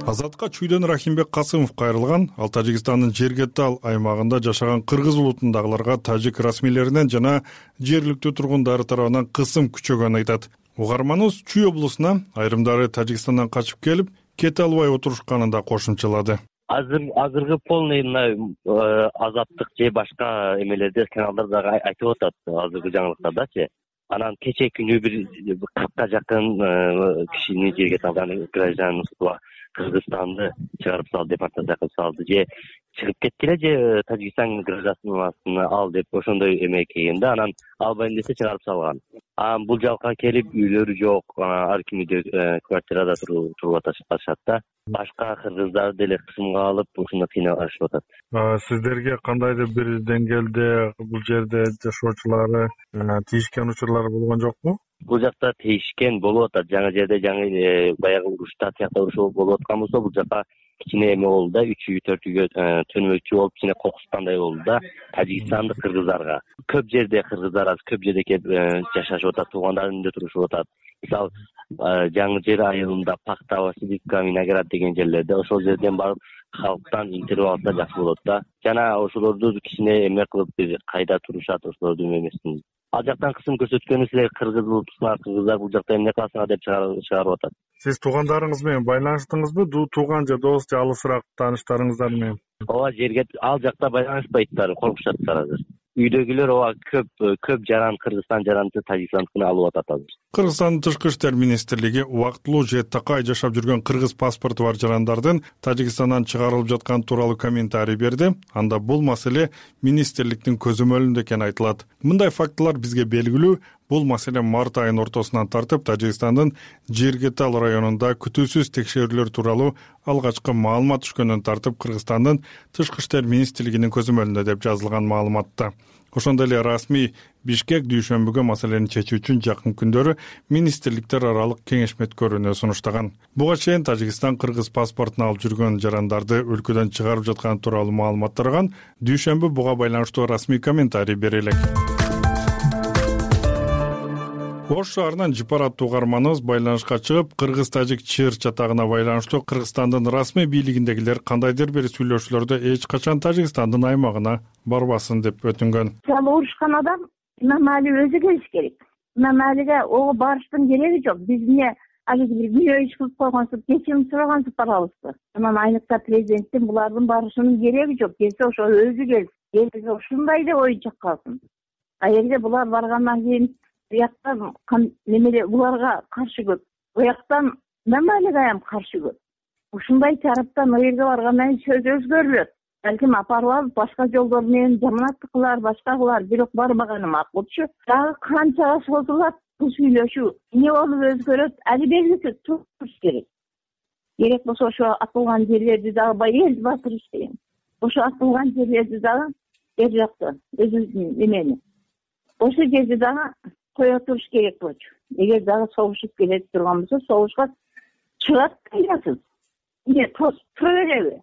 Азатка Чүйдөн Рахимбек Касымов кайрылган. Ал Тажикстандын Жергетал аймагында жашаган кыргыз улутундагыларга тажик расмийлеринен жана жергиликтүү тургундары тарабынан кысым күчөгөнүн айтат. Угарманыбыз Чүй облусуна айрымдары Тажикстандан качып келип, кете албай отурушканын да кошумчалады. азыр азыркы полный мына Азаттык же башка эмелерде каналдар дагы айтып атат азыркы жаңылыктардачы. Анан кече күнү бир кыркка жакын кишини жерге салган гражданство Кыргызстанды чыгарып сал деп артта салды же чыгып кеткиле же Тажикстан гражданствосын ал деп ошондой эме келген да, анан албайм десе чыгарып салган. Анан бул жака келип үйлөрү жок, ар кимде квартирада туруп атышат да. Башка кыргыздар деле кысымга алып ушуну кыйналышып атат. Сиздерге кандайдыр бир деңгээлде бул жерде жашоочулары тийишкен учурлар болгон жокпу? Бул жакта тийишкен болуп атат. Жаңы жерде жаңы баягы урушта тиякта уруш болуп аткан болсо, бул жака кичине эме болду да, үч үй төрт үйгө төнмөкчү болуп кичине кокускандай болду да Тажикстандык кыргыздарга. Көп жерде кыргыздар аз көп жерде келип жашашып атат, туугандарынын үйүндө турушуп атат. Мисалы, жаңы жер айылында Пакта, Васильевка, Виноград деген жерлерде ошол жерден барып халктан интервью алса жакшы болот да. Жана ошолорду кичине эме кылып бир кайда турушат, ошолорду эмесин. Ал жактан кысым көрсөткөнү силер кыргыз болупсуңар, кыргыздар бул жакта эмне кыласыңар деп чыгарып атат. Сиз туугандарыңыз менен байланыштыңызбы? Тууган же дос же алысыраак тааныштарыңыздар менен? Ооба, жерге ал жакта байланышпайттар, коркушаттар азыр. Үйдөгүлөр ооба көп көп жаран Кыргызстан жаранды Тажикстандыкына алып атат азыр. Кыргызстандын Тышкы иштер министрлиги убактылуу же такай жашап жүргөн кыргыз паспорту бар жарандардын Тажикстандан чыгарылып жатканы тууралуу комментарий берди. Анда бул маселе министрликтин көзөмөлүндө экени айтылат. Мындай фактылар бизге белгилүү. Бул маселе март айынын ортосунан тартып Тажикстандын Жиргетал районунда күтүүсүз текшерүүлөр тууралуу алгачкы маалымат түшкөндөн тартып Кыргызстандын Тышкы иштер министрлигинин көзөмөлүндө деп жазылган маалыматта. Ошондой эле расмий Бишкек дүйшөмбүгө маселени чечүү үчүн жакын күндөрү министрликтер аралык кеңешме өткөрүүнү сунуштаган. Буга чейин Тажикстан кыргыз паспортун алып жүргөн жарандарды өлкөдөн чыгарып жатканы тууралуу маалымат тараган. Дүйшөмбү буга байланыштуу расмий комментарий бере элек. Ош шаарынан Жипар аттуу угарманыбыз байланышка чыгып, кыргыз-тажик чыр чатагына байланыштуу Кыргызстандын расмий бийлигиндегилер кандайдыр бир сүйлөшүүлөрдө эч качан Тажикстандын аймагына барбасын деп өтүнгөн. Урушкан адам Имамали өзү келиш керек. Имамалиге ого барыштын кереги жок. Биз эмне али бир мүйө иш кылып койгонсуп, кечирим сурагансып барабызбы? Анан айныкта президенттин булардын барышынын кереги жок. Келсе ошо өзү келсин. Келсе ушундай деп оюнча калсын. А эгерде булар баргандан кийин бияктан немеле буларга каршы көп. Буяктан Имамалиге каршы көп. Ушундай тараптан о жерге баргандан кийин сөз өзгөрүлөт. Балким апарып алып башка жолдор менен жаманаттык кылар, башка кылар, бирок барбаганы макулчу. Дагы канчага созулат бул сүйлөшүү? Эмне болуп өзгөрөт? Али белгисиз туруш керек. Керек болсо ошо атылган жерлерди дагы баягы эл батыр иштеген. Ошо атылган жерлерди дагы бер жакта өзүбүздүн эмени. Ошол жерди дагы кое туруш керек болчу. Эгер дагы согушуп келе турган болсо, согушка чыгат кайдасыз. Эмне тосуп тура береби?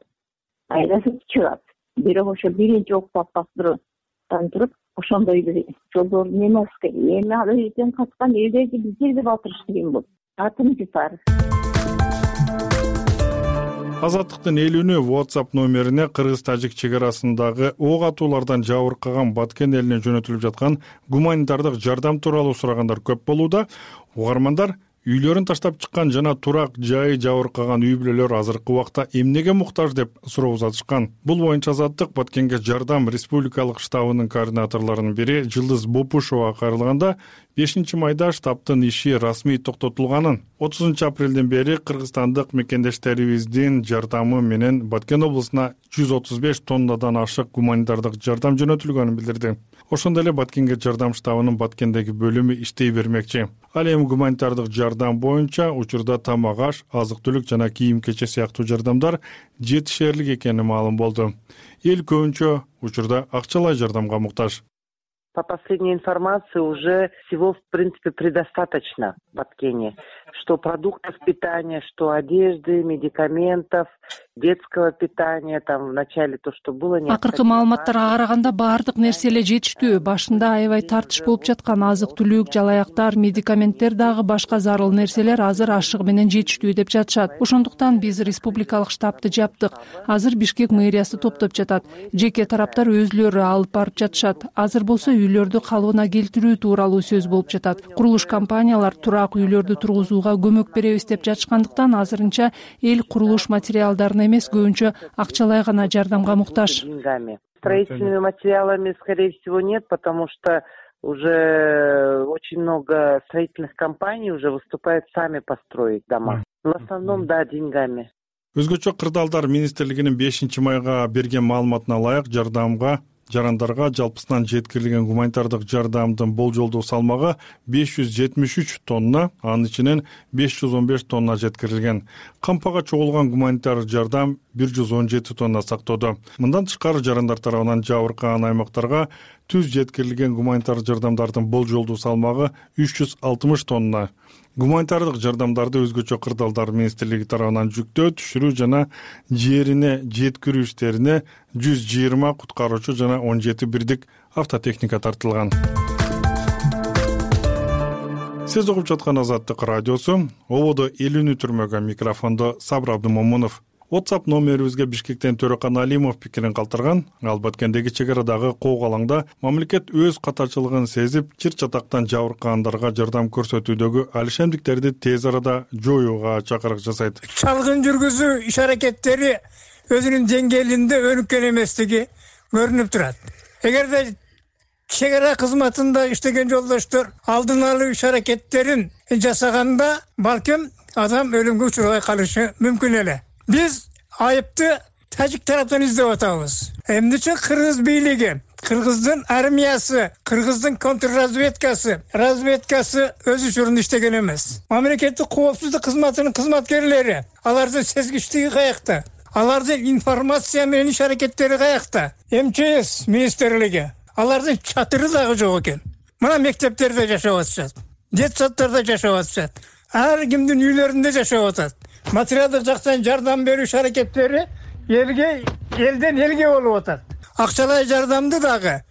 Кайдасыз чыгат. Бирок ошо биринчи октап бастыруудан туруп, ошондой бир жолдор эмес керек. Эми ал жерден каткан элдерди биз жерде батырыш деген болот. Атым Жипар. Азаттыктын элүүнү WhatsApp номерине кыргыз-тажик чек арасындагы ок атуулардан жабыркаган Баткен элине жөнөтүлүп жаткан гуманитардык жардам тууралуу сурагандар көп болууда. Угармандар үйлөрүн таштап чыккан жана турак жайы жабыркаган үй бүлөлөр азыркы убакта эмнеге муктаж деп суроо узатышкан. Бул боюнча Азаттык Баткенге жардам республикалык штабынын координаторлорунун бири Жылдыз Бопушова кайрылганда бешинчи майда штабтын иши расмий токтотулганын, отузунчу апрелден бери кыргызстандык мекендештерибиздин жардамы менен Баткен облусуна жүз отуз беш тоннадан ашык гуманитардык жардам жөнөтүлгөнүн билдирди. Ошондой эле Баткенге жардам штабынын Баткендеги бөлүмү иштей бермекчи. Ал эми гуманитардык жардам боюнча учурда тамак аш, азык-түлүк жана кийим-кече сыяктуу жардамдар жетишерлик экени маалым болду. Эл көбүнчө учурда акчалай жардамга муктаж. По последней информации уже всего, в принципе, предостаточно в Баткене. Что продуктов питания, что одежды, медикаментов, детского питания, там в начале то, что было необходимо. Акыркы маалыматтарга караганда баардык нерсе эле жетиштүү. Башында аябай тартыш болуп жаткан азык-түлүк, жалаяктар, медикаменттер дагы башка зарыл нерселер азыр ашыгы менен жетиштүү деп жатышат. Ошондуктан биз республикалык штабты жаптык. Азыр Бишкек мэриясы топтоп жатат. Жеке тараптар өзүлөрү алып барып жатышат. Азыр болсо үйлөрдү калыбына келтирүү тууралуу сөз болуп жатат. Курулуш компаниялар турак үйлөрдү тургузууга көмөк беребиз деп жатышкандыктан азырынча эл курулуш материалдарын гана эмес, көбүнчө акчалай гана жардамга муктаж. Строительными материалами, скорее всего, нет, потому что уже очень много строительных компаний уже выступают сами построить дома. В основном, да, деньгами. Өзгөчө кырдаалдар министрлигинин бешинчи майга берген маалыматына ылайык, жардамга жарандарга жалпысынан жеткирилген гуманитардык жардамдын болжолдуу салмагы беш жүз жетимиш үч тонна, анын ичинен беш жүз он беш тонна жеткирилген. Кампага чогулган гуманитар жардам бир жүз он жети тонна сактоодо. Мындан тышкары жарандар тарабынан жабыркаган аймактарга түз жеткирилген гуманитар жардамдардын болжолдуу салмагы үч жүз алтымыш тонна. Гуманитардык жардамдарды өзгөчө кырдаалдар министрлиги тарабынан жүктөө, түшүрүү жана жерине жеткирүү иштерине жүз жыйырма куткаруучу жана он жети бирдик автотехника тартылган. Сиз угуп жаткан Азаттык радиосу. Ободо элүүнү түрмөгө, микрофондо Сабыр Абдымомунов. WhatsApp номерибизге Бишкектен Төрөкан Алимов пикирин калтырган. Ал Баткендеги чек арадагы Коогалаңда мамлекет өз катачылыгын сезип, чыр чатактан жабыркагандарга жардам көрсөтүүдөгү алишемдиктерди тез арада жоюуга чакырык жасайт. Чалгын жүргүзүү иш-аракеттери өзүнүн деңгээлинде өнүккөн эместиги көрүнүп турат. Эгерде чек ара кызматында иштеген жолдоштор алдын алуу иш-аракеттерин жасаганда, балким адам өлүмгө учурбай калышы мүмкүн эле. Биз айыпты тажик тараптан издеп атабыз. Эмнече кыргыз бийлиги, кыргыздын армиясы, кыргыздын контрразведкасы, разведкасы өз учурунда иштеген эмес. Мамлекеттик коопсуздук кызматынын кызматкерлери, алардын сезгичтиги каякта? Алардын информация менен иш-аракеттери каякта? эм че эс министрлиги алардын чатыры дагы жок экен. Мына мектептерде жашап атышат, детсадтарда жашап атышат, ар кимдин үйлөрүндө жашап атат. Материалдык жактан жардам берүү иш-аракеттери элге, элден элге болуп атат. Акчалай жардамды дагы,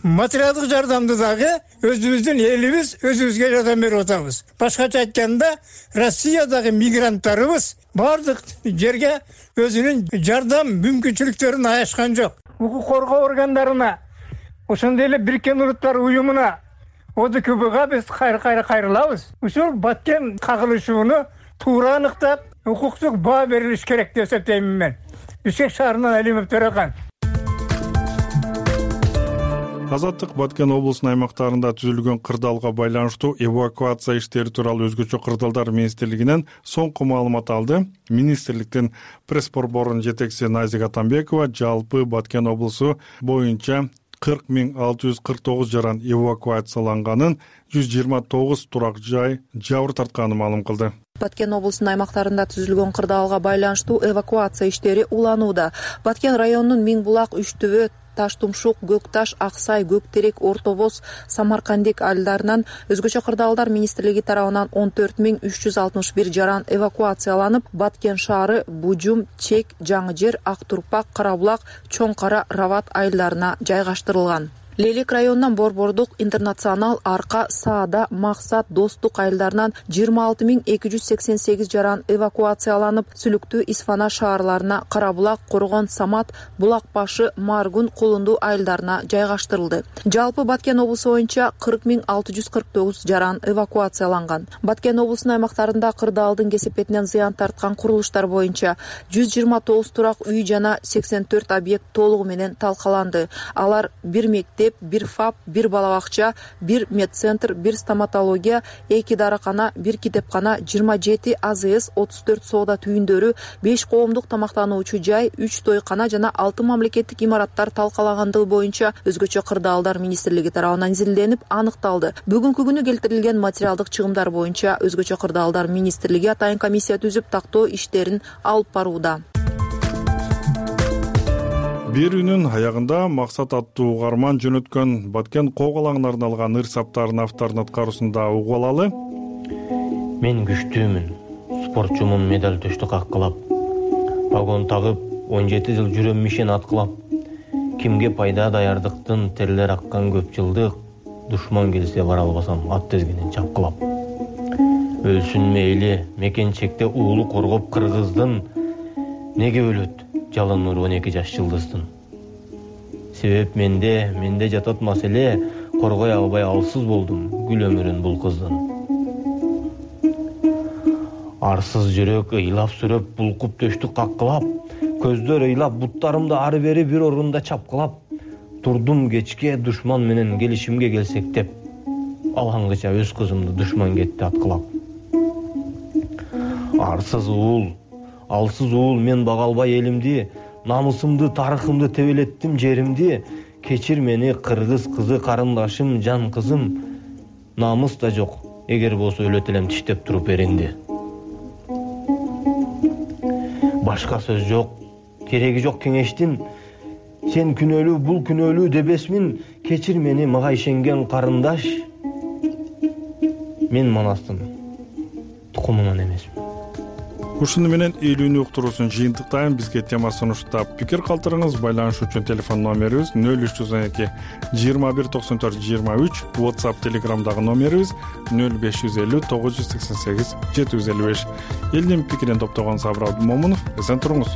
материалдык жардамды дагы өзүбүздүн элибиз өзүбүзгө жардам берип атабыз. Башкача айтканда, Россиядагы мигранттарыбыз бардык жерге өзүнүн жардам мүмкүнчүлүктөрүн аяшкан жок. Укук коргоо органдарына, ошондой эле Бириккен Улуттар уюмуна, о д к бга биз кайра-кайра кайрылабыз. Ушул Баткен кагылышууну туура аныктап, укуктук баа берилиш керек деп эсептеймин мен. Бишкек шаарынан Алимов Төрөкан. Азаттык Баткен облусунун аймактарында түзүлгөн кырдаалга байланыштуу эвакуация иштери тууралуу өзгөчө кырдаалдар министрлигинен соңку маалымат алды. Министрликтин пресс-борборунун жетекчиси Назика Атамбекова жалпы Баткен облусу боюнча кырк миң алты жүз кырк тогуз жаран эвакуацияланганын, жүз жыйырма тогуз турак жай жабыр тартканын маалым кылды. Баткен облусунун аймактарында түзүлгөн кырдаалга байланыштуу эвакуация иштери уланууда. Баткен районунун Миң булак, Үч төбө, Таштумшук, Көк Таш, Аксай, Көк Терек, Орто Боз, Самаркандик айылдарынан өзгөчө кырдаалдар министрлиги тарабынан он төрт миң үч жүз алтымыш бир жаран эвакуацияланып, Баткен шаары, Бужум, Чек, Жаңы Жер, Ак Турпак, Кара булак, Чоң Кара, Рават айылдарына жайгаштырылган. Лелек районунан Борбордук, Интернационал, Арка, Саада, Максат, Достук айылдарынан жыйырма алты миң эки жүз сексен сегиз жаран эвакуацияланып, Сүлүктүү, Исфана шаарларына, Кара булак, Коргон, Самат, Булак башы, Маргун, Кулунду айылдарына жайгаштырылды. Жалпы Баткен облусу боюнча кырк миң алты жүз кырк тогуз жаран эвакуацияланган. Баткен облусунун аймактарында кырдаалдын кесепетинен зыян тарткан курулуштар боюнча жүз жыйырма тогуз турак үй жана сексен төрт объект толугу менен талкаланды. Алар бир мектеп, бир фап, бир балабакча, бир медцентр, бир стоматология, эки даракана, бир китепкана, жыйырма жети а зэ эс, отуз төрт соода түйүндөрү, беш коомдук тамактануучу жай, үч тойкана жана алты мамлекеттик имараттар талкалагандыгы боюнча өзгөчө кырдаалдар министрлиги тарабынан изилденип аныкталды. Бүгүнкү күнү келтирилген материалдык чыгымдар боюнча өзгөчө кырдаалдар министрлиги атайын комиссия түзүп тактоо иштерин алып барууда. Берүүнүн аягында Максат аттуу угарман жөнөткөн Баткен Коогалаңына арналган ыр саптарын автордун аткаруусунда угуп алалы. Мен күчтүүмүн, спортчумун, медаль төштү каккылап, погон тагып, он жети жыл жүрөм мишен аткылап, кимге пайда даярдыктын терлер аккан көп жылдык, душман келсе бара албасам ат тезгенин чапкылап. Өлсүн мейли, мекенчекте уулу коргоп кыргыздын, неге өлөт жалын нур он эки жаш жылдыздын. Себеп менде, менде жатат маселе, коргой албай алсыз болдум гүл өмүрүн бул кыздын. арсыз жүрөк ыйлап сүрөп, булкуп төштүк каккылап, көздөр ыйлап, буттарымды ары бери бир орунда чапкылап, турдум кечке душман менен келишимге келсек деп, алаңгыча өз кызымды душман кетти аткылап. Арсыз уул, алсыз уул, мен бага албай элимди, намысымды, тарыхымды тебелеттим жеримди. Кечир мени кыргыз кызы карындашым, жан кызым. Намыс да жок, эгер болсо өлөт элем тиштеп туруп эринди. Башка сөз жок, кереги жок кеңештин. Сен күнөөлүү, бул күнөөлүү дебесмин. Кечир мени, мага ишенген карындаш. Мен Манастын тукумунан эмесмин. Ушуну менен элүүнү уктуруусун жыйынтыктайм. Бизге тема сунуштап пикир калтырыңыз. Байланыш үчүн телефон номерибиз нөл үч жүз он эки жыйырма бир токсон төрт жыйырма үч, WhatsApp, Telegramдагы номерибиз нөл беш жүз элүү тогуз жүз сексен сегиз жети жүз элүү беш. Элдин пикирин топтогон Сабыр Абдымомунов. Эсен туруңуз.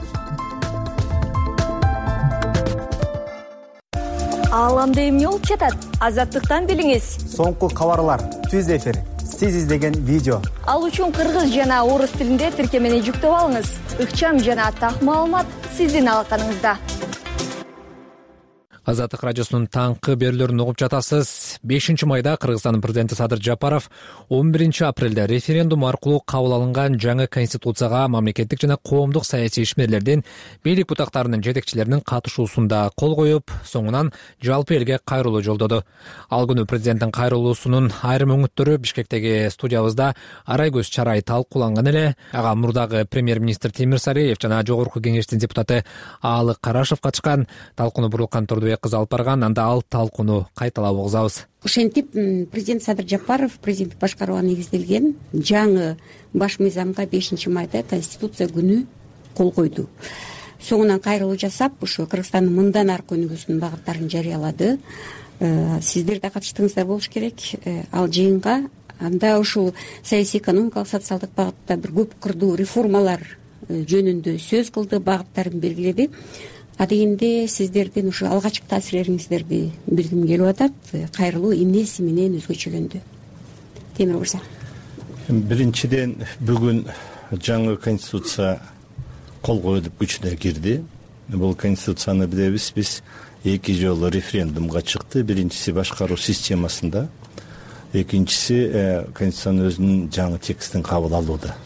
Ааламда эмне болуп жатат? Азаттыктан билиңиз. Соңку кабарлар, түз эфир, сиз издеген видео. Ал үчүн кыргыз жана орус тилинде тиркемени жүктөп алыңыз. Ыкчам жана так маалымат сиздин алаканыңызда. Азаттык радиосунун таңкы берүүлөрүн угуп жатасыз. бешинчи майда Кыргызстандын президенти Садыр Жапаров он биринчи апрелде референдум аркылуу кабыл алынган жаңы конституцияга мамлекеттик жана коомдук саясий ишмерлердин, бийлик бутактарынын жетекчилеринин катышуусунда кол коюп, соңунан жалпы элге кайрылуу жолдоду. Ал күнү президенттин кайрылуусунун айрым өңүттөрү Бишкектеги студиябызда Арайгөз Чарай талкууланган эле. Ага мурдагы премьер-министр Темир Сариев жана жогорку кеңештин депутаты Аалык Карашев катышкан. Талкууну Буруулкан Турдубек кызы алып барган. Анда ал талкууну кайталап угузабыз. Ошентип президент Садыр Жапаров президенттик башкарууга негизделген жаңы баш мыйзамга бешинчи майда Конституция күнү кол койду. Соңунан кайрылуу жасап, ушу Кыргызстандын мындан аркы өнүгүүсүнүн багыттарын жарыялады. Сиздер да катыштыңыздар болуш керек ал жыйынга. Анда ушул саясий, экономикалык, социалдык багытта бир көп кырдуу реформалар жөнүндө сөз кылды, багыттарын белгиледи. Адегенде сиздердин ушу алгачкы таасирлериңиздерди билгим келип атат. Кайрылуу эмнеси менен өзгөчөлөндү? Темир мырза. Биринчиден, бүгүн жаңы конституция кол коюлуп күчүнө кирди. Бул конституцияны билебиз, биз эки жолу референдумга чыкты. Биринчиси башкаруу системасында, экинчиси конституциянын өзүнүн жаңы текстин кабыл алууда.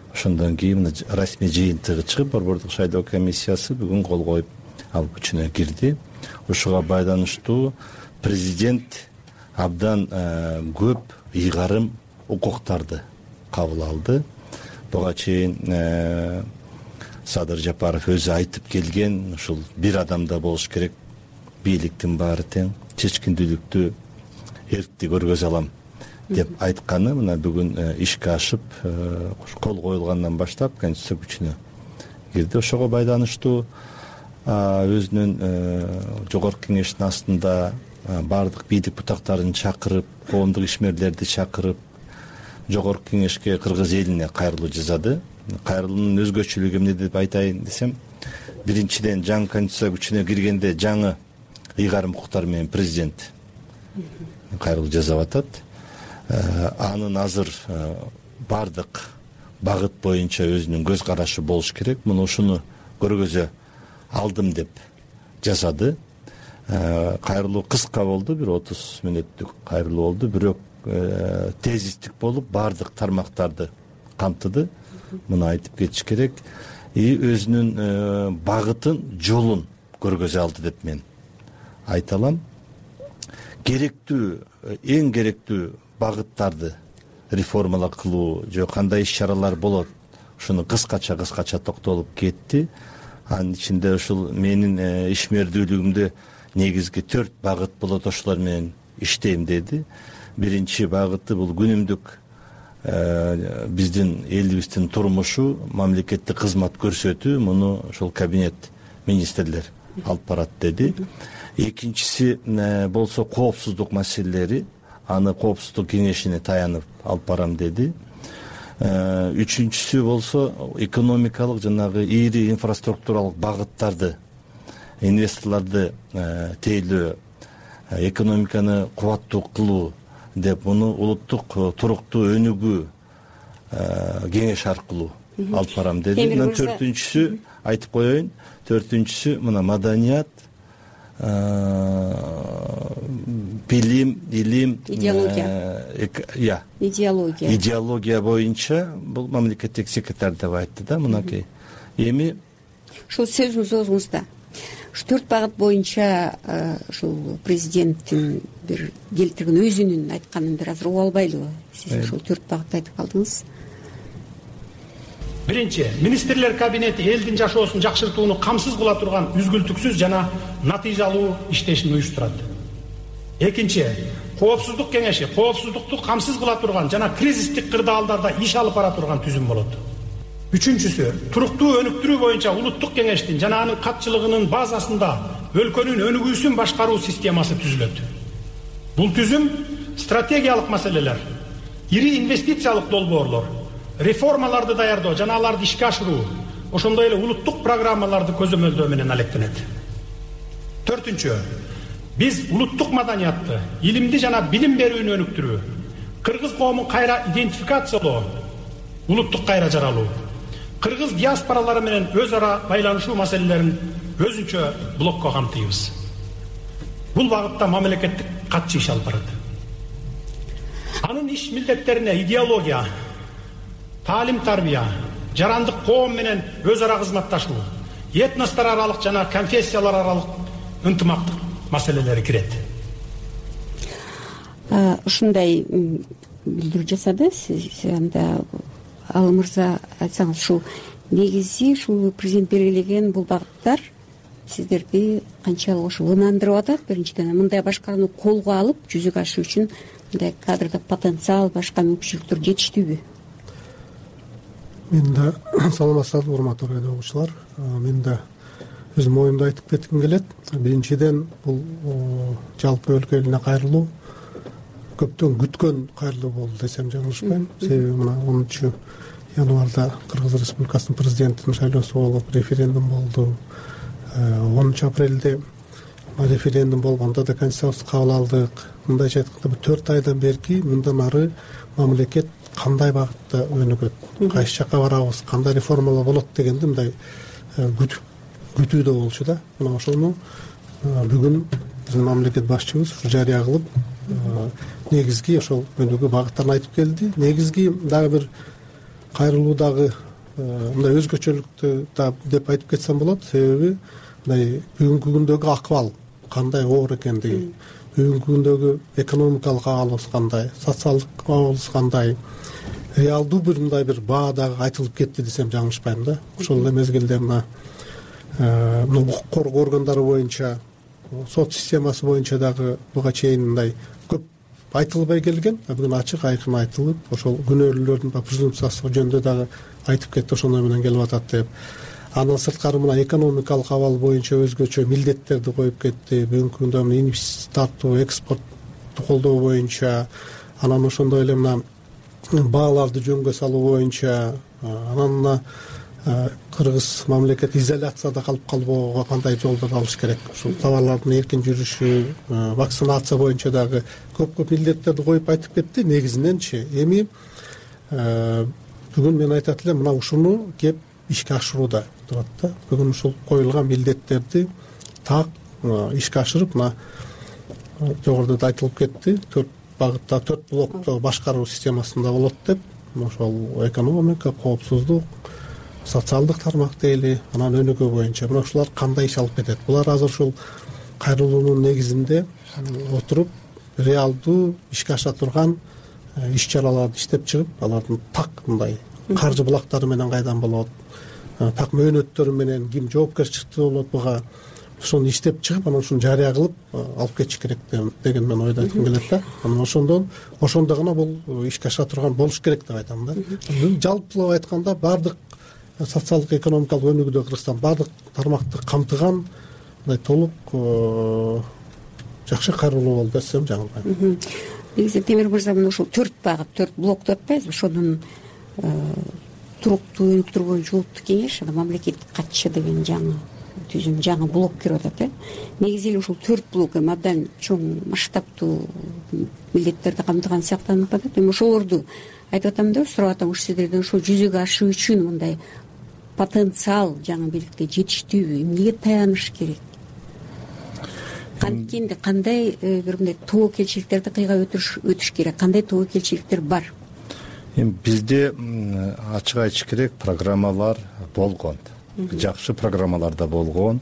Ошондон кийин расмий жыйынтыгы чыгып, Борбордук шайлоо комиссиясы бүгүн кол коюп алып күчүнө кирди. Ошого байланыштуу президент абдан көп ыйгарым укуктарды кабыл алды. Буга чейин Садыр Жапаров өзү айтып келген, ушул бир адамда болуш керек, бийликтин баары тең, чечкиндүүлүктү, эркти көргөзө алам деп айтканы мына бүгүн ишке ашып, кол коюлгандан баштап конституция күчүнө кирди. Ошого байланыштуу өзүнүн жогорку кеңештин астында баардык бийлик бутактарын чакырып, коомдук ишмерлерди чакырып, жогорку кеңешке, кыргыз элине кайрылуу жасады. Кайрылуунун өзгөчөлүгү эмне деп айтайын десем, биринчиден жаңы конституция күчүнө киргенде жаңы ыйгарым укуктар менен президент кайрылуу жасап атат. Анын азыр баардык багыт боюнча өзүнүн көз карашы болуш керек. Муну ушуну көргөзө алдым деп жасады. Кайрылуу кыска болду, бир отуз мүнөттүк кайрылуу болду, бирок тезистик болуп баардык тармактарды камтыды. Муну айтып кетиш керек. И өзүнүн багытын, жолун көргөзө алды деп мен айта алам. Керектүү, эң керектүү багыттарды реформалар кылуу же кандай иш-чаралар болот, ушуну кыскача кыскача токтолуп кетти. Анын ичинде ушул менин ишмердүүлүгүмдө негизги төрт багыт болот, ошолор менен иштейм деди. Биринчи багыты бул күнүмдүк биздин элибиздин турмушу, мамлекеттик кызмат көрсөтүү, муну ошол кабинет министрлер алып барат деди. Экинчиси болсо коопсуздук маселелери, аны коопсуздук кеңешине таянып алып барам деди. Үчүнчүсү болсо экономикалык жанагы ири инфраструктуралык багыттарды, инвесторлорду тейлөө, экономиканы кубаттуу кылуу деп, муну улуттук туруктуу өнүгүү кеңеш аркылуу алып барам деди. Мына төртүнчүсү айтып коеюн. Төртүнчүсү мына маданият, билим, илим, идеология. Я. Идеология. Идеология боюнча бул мамлекеттик секретарь деп айтты да мынакей. Эми ушул сөзүңүз оозуңузда ушу төрт багыт боюнча ушул президенттин бир келтирген өзүнүн айтканын бир азыр угуп албайлыбы? Сиз ушул төрт багытты айтып калдыңыз. Биринчи, министрлер кабинети элдин жашоосун жакшыртууну камсыз кыла турган үзгүлтүксүз жана натыйжалуу иштешин уюштурат. Экинчи, коопсуздук кеңеши коопсуздукту камсыз кыла турган жана кризистик кырдаалдарда иш алып бара турган түзүм болот. Үчүнчүсү, туруктуу өнүктүрүү боюнча улуттук кеңештин жана анын катчылыгынын базасында өлкөнүн өнүгүүсүн башкаруу системасы түзүлөт. Бул түзүм стратегиялык маселелер, ири инвестициялык долбоорлор, реформаларды даярдоо жана аларды ишке ашыруу, ошондой эле улуттук программаларды көзөмөлдөө менен алектенет. Төртүнчү, биз улуттук маданиятты, илимди жана билим берүүнү өнүктүрүү, кыргыз коомун кайра идентификациялоо, улуттук кайра жаралуу, кыргыз диаспоралары менен өз ара байланышуу маселелерин өзүнчө блокко камтыйбыз. Бул багытта мамлекеттик катчы иш алып барат. Анын иш милдеттерине идеология, таалим тарбия, жарандык коом менен өз ара кызматташуу, этностор аралык жана конфессиялар аралык ынтымактык маселелери кирет. Ушундай билдирүү жасады. Сиз анда ал мырза айтсаңыз, ушул негизи ушул президент белгилеген бул багыттар сиздерди канчалык ошо ынандырып атат? Биринчиден, мындай башкарууну колго алып жүзүгө ашыруу үчүн мындай кадрдык потенциал, башка мүмкүнчүлүктөр жетиштүүбү? Мен да саламатсыздарбы, урматтуу радио угуучулар. Мен да өзүм оюмду айтып кетким келет. Биринчиден, бул жалпы өлкө элине кайрылуу көптөн күткөн кайрылуу болду десем жаңылышпайм. Себеби мына онунчу январда Кыргыз Республикасынын президентин шайлоосу болуп, референдум болду. онунчу апрелде референдум болгондо да конституцияны кабыл алдык. Мындайча айтканда, төрт айдан берки мындан ары мамлекет кандай багытта өнүгөт, кайсы жакка барабыз, кандай реформалар болот дегенди мындай күтүүдө болчу да. Мына ошону бүгүн биздин мамлекет башчыбыз жарыя кылып, негизги ошол өнүгүү багыттарын айтып келди. Негизги дагы бир кайрылуудагы мындай өзгөчөлүктү да деп айтып кетсем болот. Себеби мындай бүгүнкү күндөгү акыбал кандай оор экендиги, бүгүнкү күндөгү экономикалык абалыбыз кандай, социалдык абалыбыз кандай, реалдуу бир мындай бир баа дагы айтылып кетти десем жаңылышпайм да. Ошол эле мезгилде мына мына укук коргоо органдары боюнча, сот системасы боюнча дагы буга чейин мындай көп айтылбай келген, бүгүн ачык айкын айтылып, ошол күнөөлүүлөрдүн презумпциясы жөнүндө дагы айтып кетти, ошондой менен келип атат деп. Андан сырткары мына экономикалык абал боюнча өзгөчө милдеттерди коюп кетти. Бүгүнкү күндө мына инвестиция тартуу, экспортту колдоо боюнча, анан ошондой эле мына бааларды жөнгө салуу боюнча, анан мына Кыргыз мамлекет изоляцияда калып калбоого кандай жолдор алыш керек, ушул товарлардын эркин жүрүшү, вакцинация боюнча дагы көп-көп милдеттерди коюп айтып кетти. Негизиненчи эми бүгүн мен айтат элем, мына ушуну кеп ишке ашырууда турат да. Бүгүн ушул коюлган милдеттерди так ишке ашырып, мына жогоруда да айтылып кетти, төрт багытта, төрт блокто башкаруу системасында болот деп. Ошол экономика, коопсуздук, социалдык тармак дейли, анан өнүгүү боюнча. Мына ушулар кандай иш алып кетет? Булар азыр ушул кайрылуунун негизинде отуруп, реалдуу ишке аша турган иш чараларды иштеп чыгып, алардын так мындай каржы булактары менен кайдан болот, так мөөнөттөрү менен ким жоопкерчиликтүү болот буга, ошону иштеп чыгып, анан ушуну жарыя кылып алып кетиш керек деген мен ойду айткым келет да. Анан ошондон ошондо гана бул ишке аша турган болуш керек деп айтам да. Жалпылап айтканда, бардык социалдык экономикалык өнүгүүдө Кыргызстан бардык тармакты камтыган мындай толук жакшы кайрылуу болду десем жаңылбайм. Негизи Темир мырза, мына ушул төрт багыт, төрт блок деп атпайбызбы? Ошонун туруктуу өнүктүрүү боюнча улуттук кеңеш, мамлекеттик катчы деген жаңы түзүм жаңы блок кирип атат э негизи эле ушул төрт блок эми абдан чоң масштабтуу милдеттерди камтыган сыяктанып атат. Эми ошолорду айтып атам да сурап атам ушу сиздерден ошо жүзөгө ашуу үчүн мындай потенциал жаңы бийликте жетиштүүбү, эмнеге таяныш керек, канткенде кандай бир мындай тобокелчиликтерди кыйгап өтүш өтүш керек, кандай тобокелчиликтер бар? Эми бизде ачык айтыш керек, программалар болгон, жакшы программалар да болгон.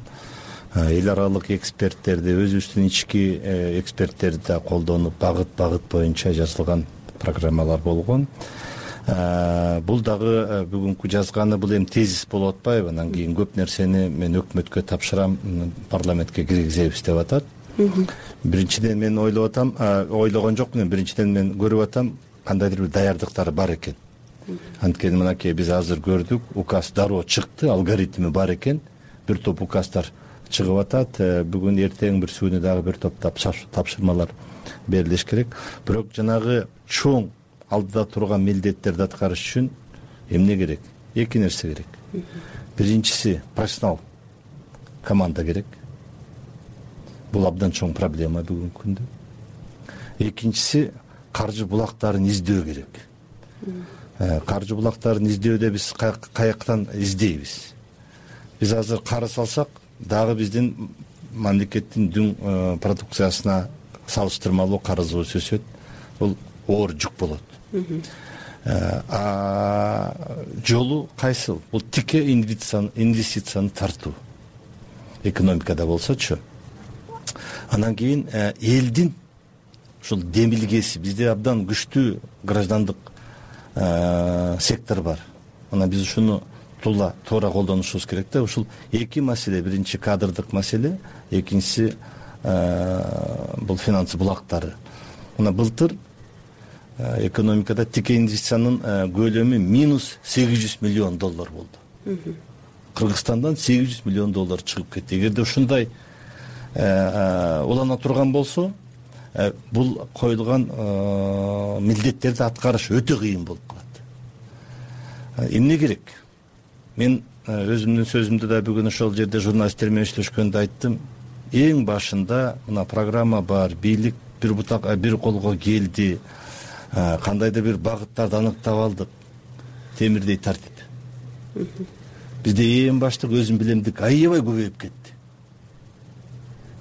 Эл аралык эксперттерди, өзүбүздүн ички эксперттерди да колдонуп, багыт багыт боюнча жазылган программалар болгон. Бул дагы бүгүнкү жазганы бул эми тезис болуп атпайбы? Анан кийин көп нерсени мен өкмөткө тапшырам, парламентке киргизебиз деп атат. Биринчиден мен ойлоп атам, ойлогон жокмун, биринчиден мен көрүп атам кандайдыр бир даярдыктар бар экен. Анткени мынакей биз азыр көрдүк, указ дароо чыкты, алгоритми бар экен. Бир топ указдар чыгып атат. Бүгүн эртең бир сүүнү дагы бир топ тапшырмалар берилиш керек. Бирок жанагы чоң алдыда турган милдеттерди аткарыш үчүн эмне керек? Эки нерсе керек. Биринчиси профессионал команда керек. Бул абдан чоң проблема бүгүнкү күндө. Экинчиси каржы булактарын издөө керек. Каржы булактарын издөөдө биз каяктан издейбиз? Биз азыр карыз алсак, дагы биздин мамлекеттин дүң продукциясына салыштырмалуу карызыбыз өсөт. Бул оор жүк болот. А жолу кайсыл? Бул тике инвестицияны тартуу. Экономикада болсочу. Анан кийин элдин ушул демилгеси, бизде абдан күчтүү граждандык сектор бар. Анан биз ушуну туура туура колдонушубуз керек да. Ушул эки маселе, биринчи кадрдык маселе, экинчиси бул финанс булактары. Мына былтыр экономикада тике инвестициянын көлөмү минус сегиз жүз миллион доллар болду. Кыргызстандан сегиз жүз миллион доллар чыгып кетти. Эгерде ушундай улана турган болсо, бул коюлган милдеттерди аткарыш өтө кыйын болуп калат. Эмне керек? Мен өзүмдүн сөзүмдө да бүгүн ошол жерде журналисттер менен сүйлөшкөндө айттым. Эң башында мына программа бар, бийлик бир бутак бир колго келди, кандайдыр бир багыттарды аныктап алдык. Темирдей тартип. Бизде эң баштык өзүм билемдик аябай көбөйүп кетти.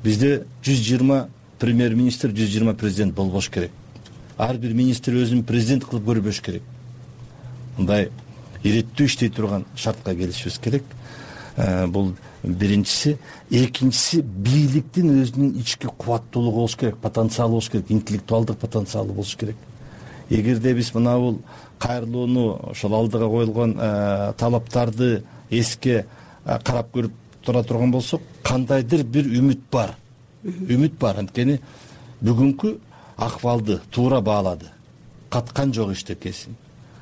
Бизде жүз жыйырма премьер-министр, жүз жыйырма президент болбош керек. Ар бир министр өзүн президент кылып көрбөш керек. Мындай иреттүү иштей турган шартка келишибиз керек. Бул биринчиси. Экинчиси, бийликтин өзүнүн ички кубаттуулугу болуш керек, потенциалы болуш керек, интеллектуалдык потенциалы болуш керек. Эгерде биз мына бул кайрылууну, ошол алдыга коюлган талаптарды эске карап көрүп тура турган болсок, кандайдыр бир үмүт бар. Үмүт бар. Анткени бүгүнкү акыбалды туура баалады. Каткан жок иштекесин.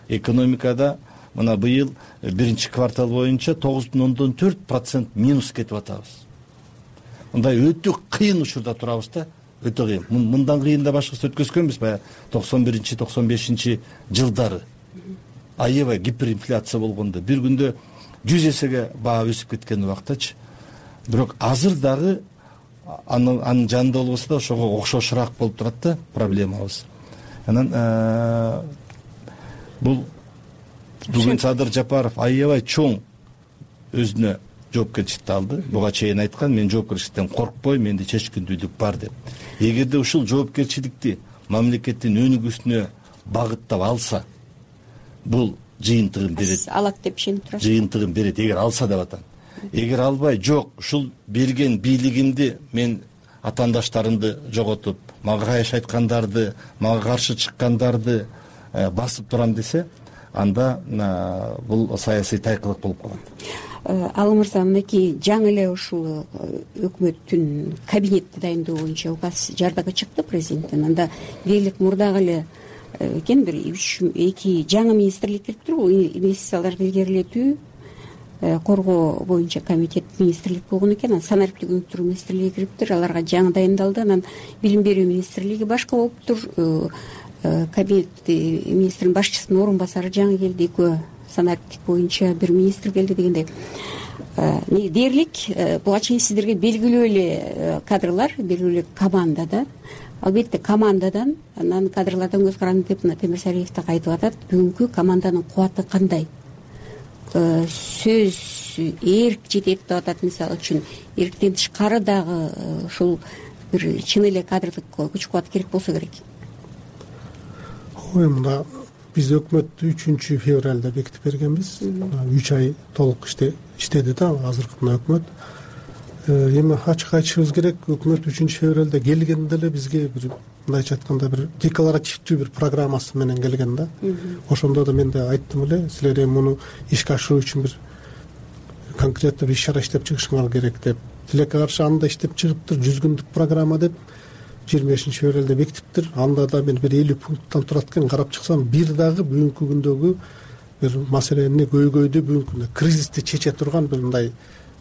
Экономикада мына быйыл биринчи квартал боюнча тогуз бүтүн ондон төрт процент минус кетип атабыз. Мындай өтө кыйын учурда турабыз да, өтө кыйын. Мындан кыйын да башкысы өткөзгөнбүз баягы токсон биринчи токсон бешинчи жылдары. Аябай гиперинфляция болгондо бир күндө жүз эсеге баа өсүп кеткен убактачы. Бирок азыр дагы анын жанында болбосо да ошого окшошураак болуп турат да проблемабыз. Анан бул бүгүн Садыр Жапаров аябай чоң өзүнө жоопкерчиликти алды. Буга чейин айткан, мен жоопкерчиликтен коркпойм, менде чечкиндүүлүк бар деп. Эгерде ушул жоопкерчиликти мамлекеттин өнүгүүсүнө багыттап алса, бул жыйынтыгын берет. Алат деп ишенип турасыз? Жыйынтыгын берет, эгер алса деп атам. Эгер албай, жок, ушул берген бийлигимди мен атаандаштарымды жоготуп, мага кайш айткандарды, мага каршы чыккандарды басып турам десе, анда бул саясий тайкылык болуп калат. Ал мырза, мынакей жаңы эле ушул өкмөттүн кабинетти дайындоо боюнча указ жардага чыкты президенттен. Анда дээрлик мурдагы эле экен бир үч эки жаңы министрлик кириптир, бул инвестицияларды илгерилетүү, коргоо боюнча комитет министрлик болгон экен. Санариптик өнүктүрүү министрлиги кириптир, аларга жаңы дайындалды. Анан билим берүү министрлиги башка болуптур. Кабинет министринин башчысынын орун басары жаңы келди, экөө санариптик боюнча бир министр келди дегендей дээрлик буга чейин сиздерге белгилүү эле кадрлар, белгилүү эле команда да. Албетте командадан, анан кадрлардан көз каранды деп мына Темир Сариев так айтып атат. Бүгүнкү команданын кубаты кандай? Сөз эрк жетет деп атат, мисалы үчүн. Эрктен тышкары дагы ушул бир чын эле кадрлык күч кубат керек болсо керек. Ой, мына биз өкмөттү үчүнчү февралда бекитип бергенбиз. үч ай толук иштеди да азыркы мына өкмөт. Эми ачык айтышыбыз керек, өкмөт үчүнчү февралда келгенде эле бизге бир мындайча айтканда бир декларативдүү бир программасы менен келген да. Ошондо да мен да айттым эле, силер эми муну ишке ашыруу үчүн бир конкреттүү иш чара иштеп чыгышыңар керек деп. Тилекке каршы анда иштеп чыгыптыр, жүз күндүк программа деп жыйырма бешинчи февралда бекитиптир. Анда да мен бир элүү пункттан турат экен, карап чыксам, бир дагы бүгүнкү күндөгү бир маселени көйгөйдү, бүгүнкү күндө кризисти чече турган бир мындай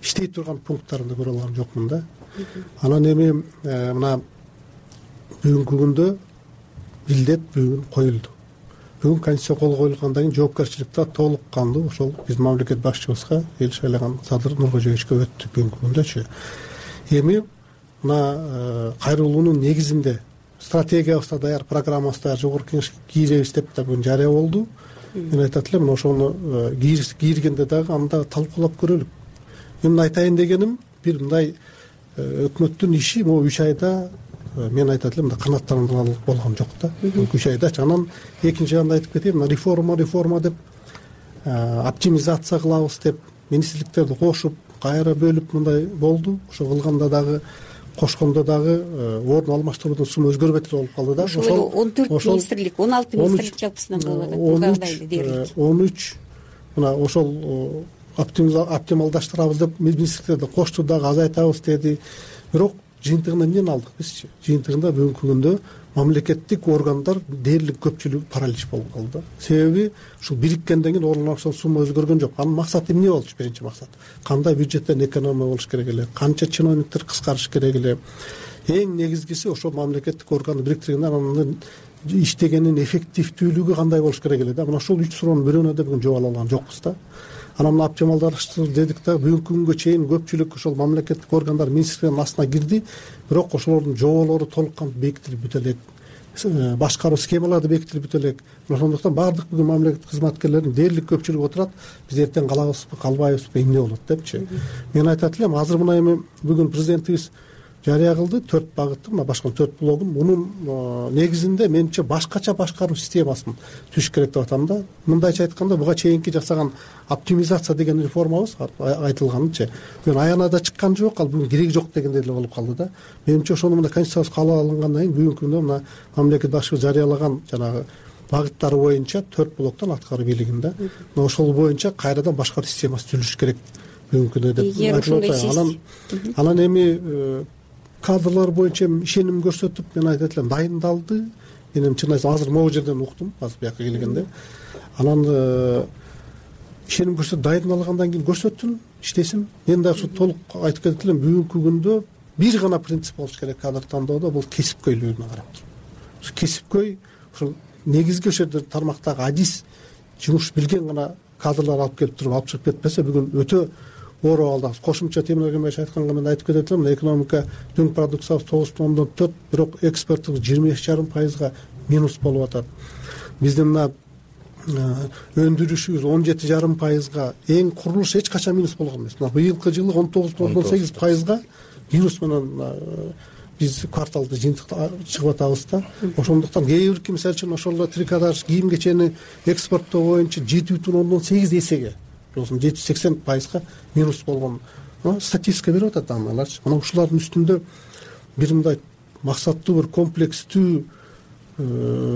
иштей турган пункттарында көрө алган жокмун да. Анан эми мына бүгүнкү күндө милдет бүгүн коюлду. Бүгүн конституция кол коюлгандан кийин жоопкерчилик да толук кандуу ошол биздин мамлекет башчыбызга, эл шайлаган Садыр Нуркожоевичке өттү бүгүнкү күндөчү. Эми мына кайрылуунун негизинде стратегиябызда даяр, программабызда жогорку кеңешке киребиз деп да бүгүн жарыя болду. Мен айтат элем, ошону киргенде дагы анда талкуулап көрөлүк. Мен айтайын дегеним, бир мындай өкмөттүн иши могу үч айда мен айтат элем, мында канааттандырылып болгон жок да. үч айдачы. Анан экинчи анда айтып кетейин, мына реформа реформа деп оптимизация кылабыз деп министрликтерди кошуп, кайра бөлүп мындай болду. Ошо кылганда дагы кошкондо дагы орун алмаштыруунун сумму өзгөрбөй болуп калды да. Ошол он төрт министрлик, он алты министрлик жалпысынан болуп атат. Бугадайлы дээрлик. он үч мына ошол оптималдаштырабыз деп министрликтерди кошту дагы азайтабыз деди. Бирок жыйынтыгында эмнени алдык бизчи? Жыйынтыгында бүгүнкү күндө мамлекеттик органдар дээрлик көпчүлүгү паралич болуп калды. Себеби ушул бириккенден кийин орун алышан сумма өзгөргөн жок. Анын максаты эмне болчу? Биринчи максат кандай бюджеттен экономия болуш керек эле, канча чиновниктер кыскарыш керек эле. Эң негизгиси ошол мамлекеттик органды бириктиргенде анын иштегенин эффективдүүлүгү кандай болуш керек эле да. Мына ушул үч суроонун бирөөнө да бүгүн жооп ала алган жокпуз да. Анан оптималдаштыруу дедик да, бүгүнкү күнгө чейин көпчүлүк ошол мамлекеттик органдар министрликтин астына кирди, бирок ошолордун жоболору толук кантип бекитилип бүтө элек, башкаруу схемалары бекитилип бүтө элек. Ошондуктан баардык бүгүн мамлекеттик кызматкерлердин дээрлик көпчүлүгү отурат, биз эртең калабызбы, калбайбызбы, эмне болот депчи. Мен айтат элем, азыр мына эми бүгүн президентибиз жарыя кылды төрт багытты, мына башка төрт блогун. Мунун негизинде менимче башкача башкаруу системасын түзүш керек деп атам да. Мындайча айтканда, буга чейинки жасаган оптимизация деген реформабыз айтылганчы бүгүн аянада чыккан жок, ал бүгүн кереги жок дегендей эле болуп калды да. Менимче ошону мына конституциябыз кабыл алынгандан кийин бүгүнкү күндө мына мамлекет башчыбыз жарыялаган жанагы багыттары боюнча төрт блоктон аткаруу бийлигинде ошол боюнча кайрадан башкаруу системасы түзүлүш керек бүгүнкү күндө деп айтып атам. Анан эми кадрлар боюнча ишеним көрсөтүп, мен айтат элем, дайындалды. Мен чын айтсам азыр могу жерден уктум, азыр бияка келгенде. Анан ишеним көрсөтүп дайындалгандан кийин көрсөтсүн, иштесин. Мен дагы ушу толук айтып кетет элем, бүгүнкү күндө бир гана принцип болуш керек кадр тандоодо, бул кесипкөйлүгүнө карап туруп. Ушу кесипкөй, ушул негизги ошол жерде тармактагы адис жумуш билген гана кадрлар алып келип туруп алып чыгып кетпесе, бүгүн өтө оор абалдабыз. Кошумча Темир Эркенбаевич айтканга мен айтып кетет элем, экономика дүң продукциябыз тогуз бүтүн ондон төрт, бирок экспортубуз жыйырма эки жарым пайызга минус болуп атат. Биздин мына өндүрүшүбүз он жети жарым пайызга, эң курулуш эч качан минус болгон эмес. Мына быйылкы жылы он тогуз бүтүн ондон сегиз пайызга минус менен биз кварталды жыйынтык чыгып атабыз да. Ошондуктан кээ бирки мисалы үчүн ошол трикотаж кийим кечени экспорттоо боюнча жети бүтүн ондон сегиз эсеге, жети жүз сексен пайызга минус болгон статистика берип атат аналарчы. Мына ушулардын үстүндө бир мындай максаттуу, бир комплекстүү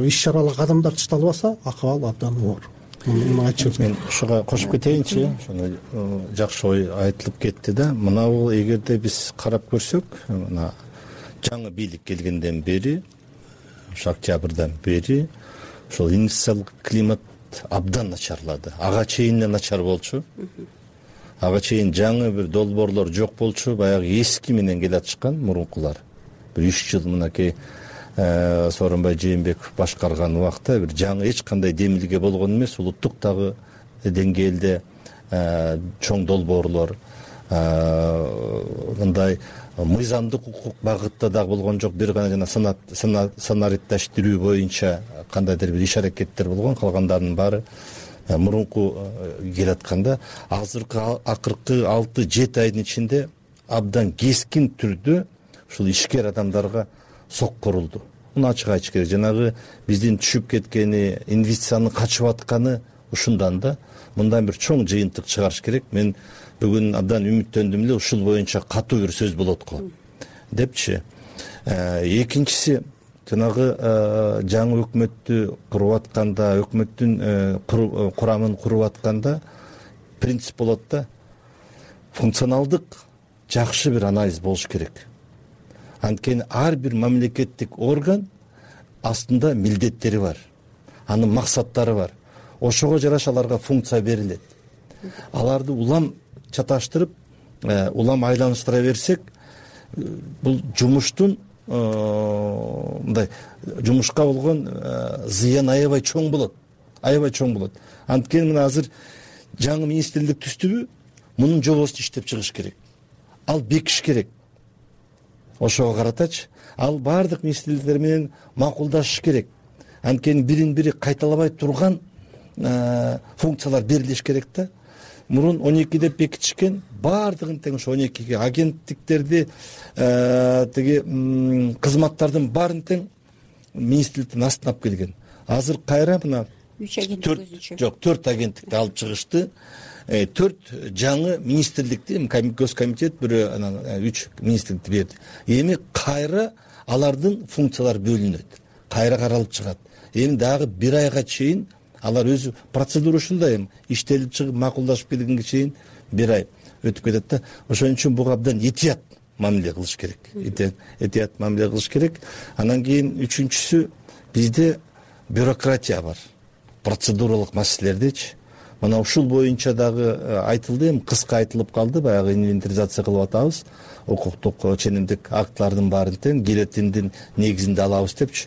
иш чаралык кадамдар чышталбаса, акыбал абдан оор. Мен ушуга кошуп кетейинчи, ошону жакшы ой айтылып кетти да. Мына бул эгерде биз карап көрсөк, мына жаңы бийлик келгенден бери, ошо октябрдан бери ошол инвестициялык климат абдан начарлады. Ага чейин эле начар болчу. Ага чейин жаңы бир долбоорлор жок болчу, баягы эски менен келатышкан мурункулар. Бир үч жыл мынакей Сооронбай Жээнбеков башкарган убакта бир жаңы эч кандай демилге болгон эмес, улуттук дагы деңгээлде чоң долбоорлор, мындай мыйзамдык укук багытта дагы болгон жок. Бир гана жана санариттештирүү боюнча кандайдыр бир иш аракеттер болгон, калгандарынын баары мурунку келатканда азыркы акыркы алты жети айдын ичинде абдан кескин түрдө ушул ишкер адамдарга сок корулду. Муну ачык айтыш керек. Жанагы биздин түшүп кеткени, инвестициянын качып атканы ушундан да. Мындан бир чоң жыйынтык чыгарыш керек. Мен бүгүн абдан үмүттөндүм эле, ушул боюнча катуу бир сөз болот го депчи. Экинчиси, жанагы жаңы өкмөттү куруп атканда, өкмөттүн курамын куруп атканда принцип болот да, функционалдык жакшы бир анализ болуш керек. Анткени ар бир мамлекеттик орган астында милдеттери бар, анын максаттары бар. Ошого жараша аларга функция берилет. Аларды улам чаташтырып, улам айланыштыра берсек, бул жумуштун мындай жумушка болгон зыян аябай чоң болот. Аябай чоң болот. Анткени мына азыр жаңы министрлик түздүбү, мунун жобосун иштеп чыгыш керек. Ал бекиш керек. Ошого каратачы, ал баардык министрликтер менен макулдашыш керек. Анткени бирин бири кайталабай турган функциялар берилиш керек да. Мурун он эки деп бекитишкен, баардыгын тең ошо он экиге агенттиктерди, тиги кызматтардын баарын тең министрликтин астына алып келген. Азыр кайра мына жок төрт агенттикти алып чыгышты. Төрт жаңы министрликти, Госкомитет бирөө анан үч министрликти берди. Эми кайра алардын функциялары бөлүнөт. Кайра каралып чыгат. Эми дагы бир айга чейин алар өзү процедура ушундай, эми иштелип чыгып макулдашып келгенге чейин бир ай өтүп кетет да. Ошон үчүн буга абдан этият мамиле кылыш керек. Этият мамиле кылыш керек. Анан кийин үчүнчүсү, бизде бюрократия бар. Процедуралык маселелердечи. Мына ушул боюнча дагы айтылды, эми кыска айтылып калды, баягы инвентаризация кылып атабыз. Укуктук ченемдик актылардын баарын тең гильотиндин негизинде алабыз депчи.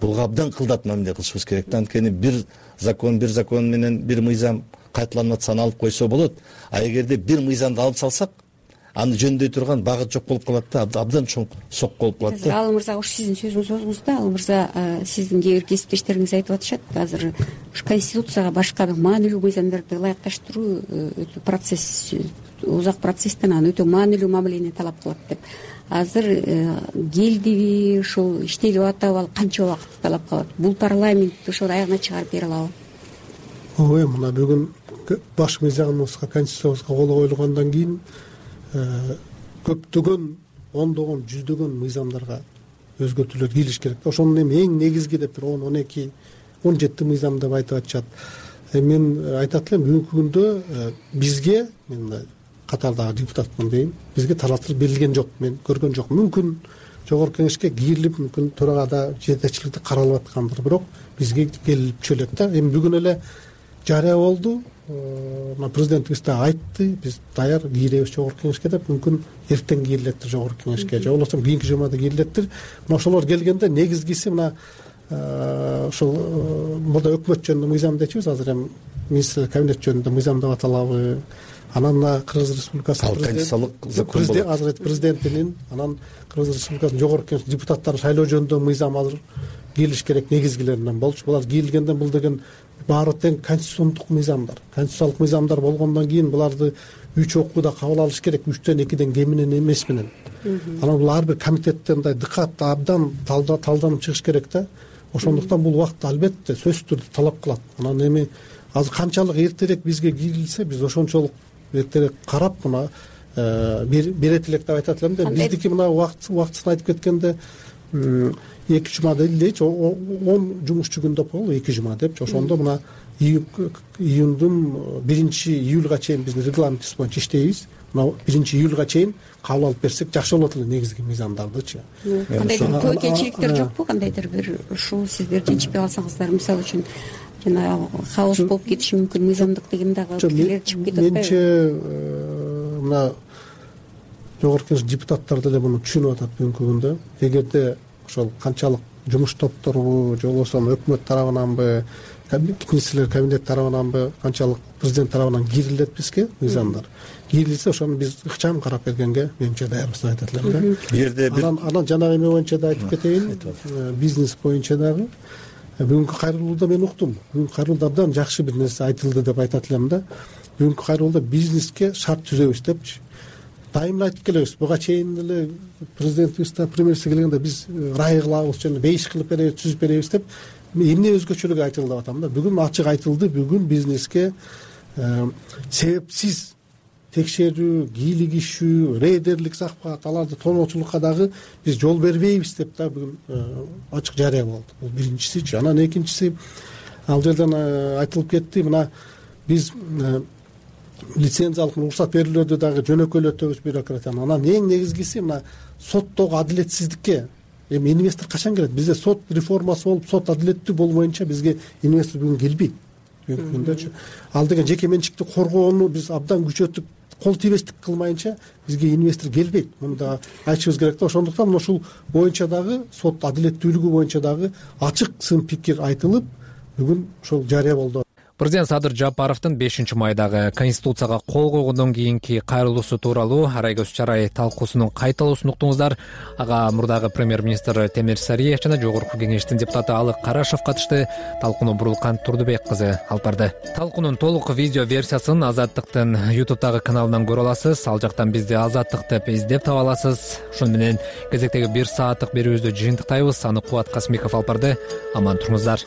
Буга абдан кылдат мамиле кылышыбыз керек. Анткени бир закон, бир закон менен бир мыйзам кайталанып атса алып койсо болот. А эгерде бир мыйзамды алып салсак, аны жөндөй турган багыт жок болуп калат да, абдан чоң сок болуп калат да. Ал мырза, ушу сиздин сөзүңүз да, ал мырза, сиздин кээ бир кесиптештериңиз айтып атышат, азыр ушу конституцияга башка бир маанилүү мыйзамдарды ылайыкташтыруу өтө процесс, узак процесстен анан өтө маанилүү мамилени талап кылат деп. Азыр келдиби, ушул иштелип атабы, ал канча убакыт талап калат? Бул парламент ошол аягына чыгарып бере алабы? Ой, мына бүгүн баш мыйзамыбызга, конституциябызга кол коюлгандан кийин көптөгөн, ондогон, жүздөгөн мыйзамдарга өзгөртүүлөр кириш керек. Ошонун эми эң негизги деп бир он, он эки, он жети мыйзам деп айтып атышат. Мен айтат элем, бүгүнкү күндө бизге, мен катардагы депутатмын дейм, бизге тараптар берилген жок, мен көргөн жокмун. Мүмкүн жогорку кеңешке кирилип, мүмкүн төрагада жетекчиликте каралып аткандыр, бирок бизге келип түшөлөт да. Эми бүгүн эле жарыя болду, президентибиз да айтты, биз даяр киребиз жогорку кеңешке деп, мүмкүн эртең кирилеттир жогорку кеңешке, же болбосо кийинки жумада кирилеттир. Мына ошолор келгенде негизгиси мына ошол мурда өкмөт жөнүндө мыйзам дечүбүз, азыр эми министрлер кабинет жөнүндө мыйзам деп аталабы. Анан мына Кыргыз Республикасынын конституциялык закон болот. Азыр президентинин, анан Кыргыз Республикасынын жогорку кеңеш депутаттарын шайлоо жөнүндө мыйзам азыр кирилиш керек, негизгилеринен болчу. Булар кирилгенден бул деген баары тең конституциондук мыйзамдар. Конституциялык мыйзамдар болгондон кийин буларды үч окууда кабыл алыш керек, үчтөн экиден кем менен эмес менен. Анан бул ар бир комитетте мындай дыкат абдан талданып чыгыш керек да. Ошондуктан бул убакытта албетте сөзсүз түрдө талап кылат. Анан эми азыр канчалык эртерээк бизге кирилсе, биз ошончолук эртерээк карап мына берет элек деп айтат элем да. Биздики мына убактысын айтып кеткенде эки жума дейчи, он жумушчу күн деп коелу, эки жума депчи. Ошондо мына июндун биринчи июлга чейин биз регламентибиз боюнча иштейбиз. Мына биринчи июлга чейин кабыл алып берсек жакшы болот эле, негизги мыйзамдардычы. Кандайдыр тобокелчиликтер жокпу? Кандайдыр бир ушул сиздер жетишпей калсаңыздар, мисалы үчүн жана хаос болуп кетиши мүмкүн, мыйзамдык деген дагы пикирлер чыгып кетет атпайбы? Менче мына жогорку кеңеш депутаттары деле муну түшүнүп атат бүгүнкү күндө. Эгерде ошол канчалык жумуш топтору же болбосо өкмөт тарабынанбы, министрлер кабинети тарабынанбы канчалык президент тарабынан кирилет бизге мыйзамдар кирилсе ошону биз ыкчам карап бергенге менимче даярбыз деп айтат элем да. Бул жерде бир анан жанагы эме боюнча да айтып кетейин, бизнес боюнча дагы бүгүнкү кайрылууда мен уктум. Бүгүнкү кайрылууда абдан жакшы бир нерсе айтылды деп айтат элем да. Бүгүнкү кайрылууда бизнеске шарт түзөбүз депчи. Дайыма айтып келебиз. Буга чейин эле президентибиз да премьерибиз келгенде биз рай кылабыз жана бейиш кылып беребиз, түзүп беребиз деп эмне өзгөчөлүгү айтылды деп атам да. Бүгүн ачык айтылды. Бүгүн бизнеске себепсиз текшерүү, кийлигишүү, рейдерлик захват, аларды тоноочулукка дагы биз жол бербейбиз деп да бүгүн ачык жарыя болду. Бул биринчиси. Анан экинчиси, ал жерден айтылып кетти, мына биз лицензиялык уруксат берүүлөрдү дагы жөнөкөйлөтөбүз бюрократияны. Анан эң негизгиси мына соттогу адилетсиздикке эми инвестор качан келет? Бизде сот реформасы болуп, сот адилеттүү болбоюнча бизге инвестор бүгүн келбейт. Бүгүнкү күндө ал деген жеке менчикти коргоону биз абдан күчөтүп, кол тийбестик кылмайынча бизге инвестор келбейт. Муну да айтышыбыз керек да. Ошондуктан мына ушул боюнча дагы сот адилеттүүлүгү боюнча дагы ачык сын пикир айтылып, бүгүн ошол жарыя болду. Президент Садыр Жапаровдун бешинчи майдагы Конституцияга кол койгондон кийинки кайрылуусу тууралуу Арайгөз Чарай талкуусунун кайталуусун уктуңуздар. Ага мурдагы премьер-министр Темир Сариев жана Жогорку Кеңештин депутаты Алык Карашев катышты. Талкууну Бурулкан Турдубек кызы алып барды. Талкуунун толук видео версиясын Азаттыктын YouTube'дагы каналынан көрө аласыз. Ал жактан бизди Азаттык деп издеп таба аласыз. Ошону менен кезектеги бир сааттык берүүбүздү жыйынтыктайбыз. Аны Кубат Касмиков алып барды. Аман туруңуздар.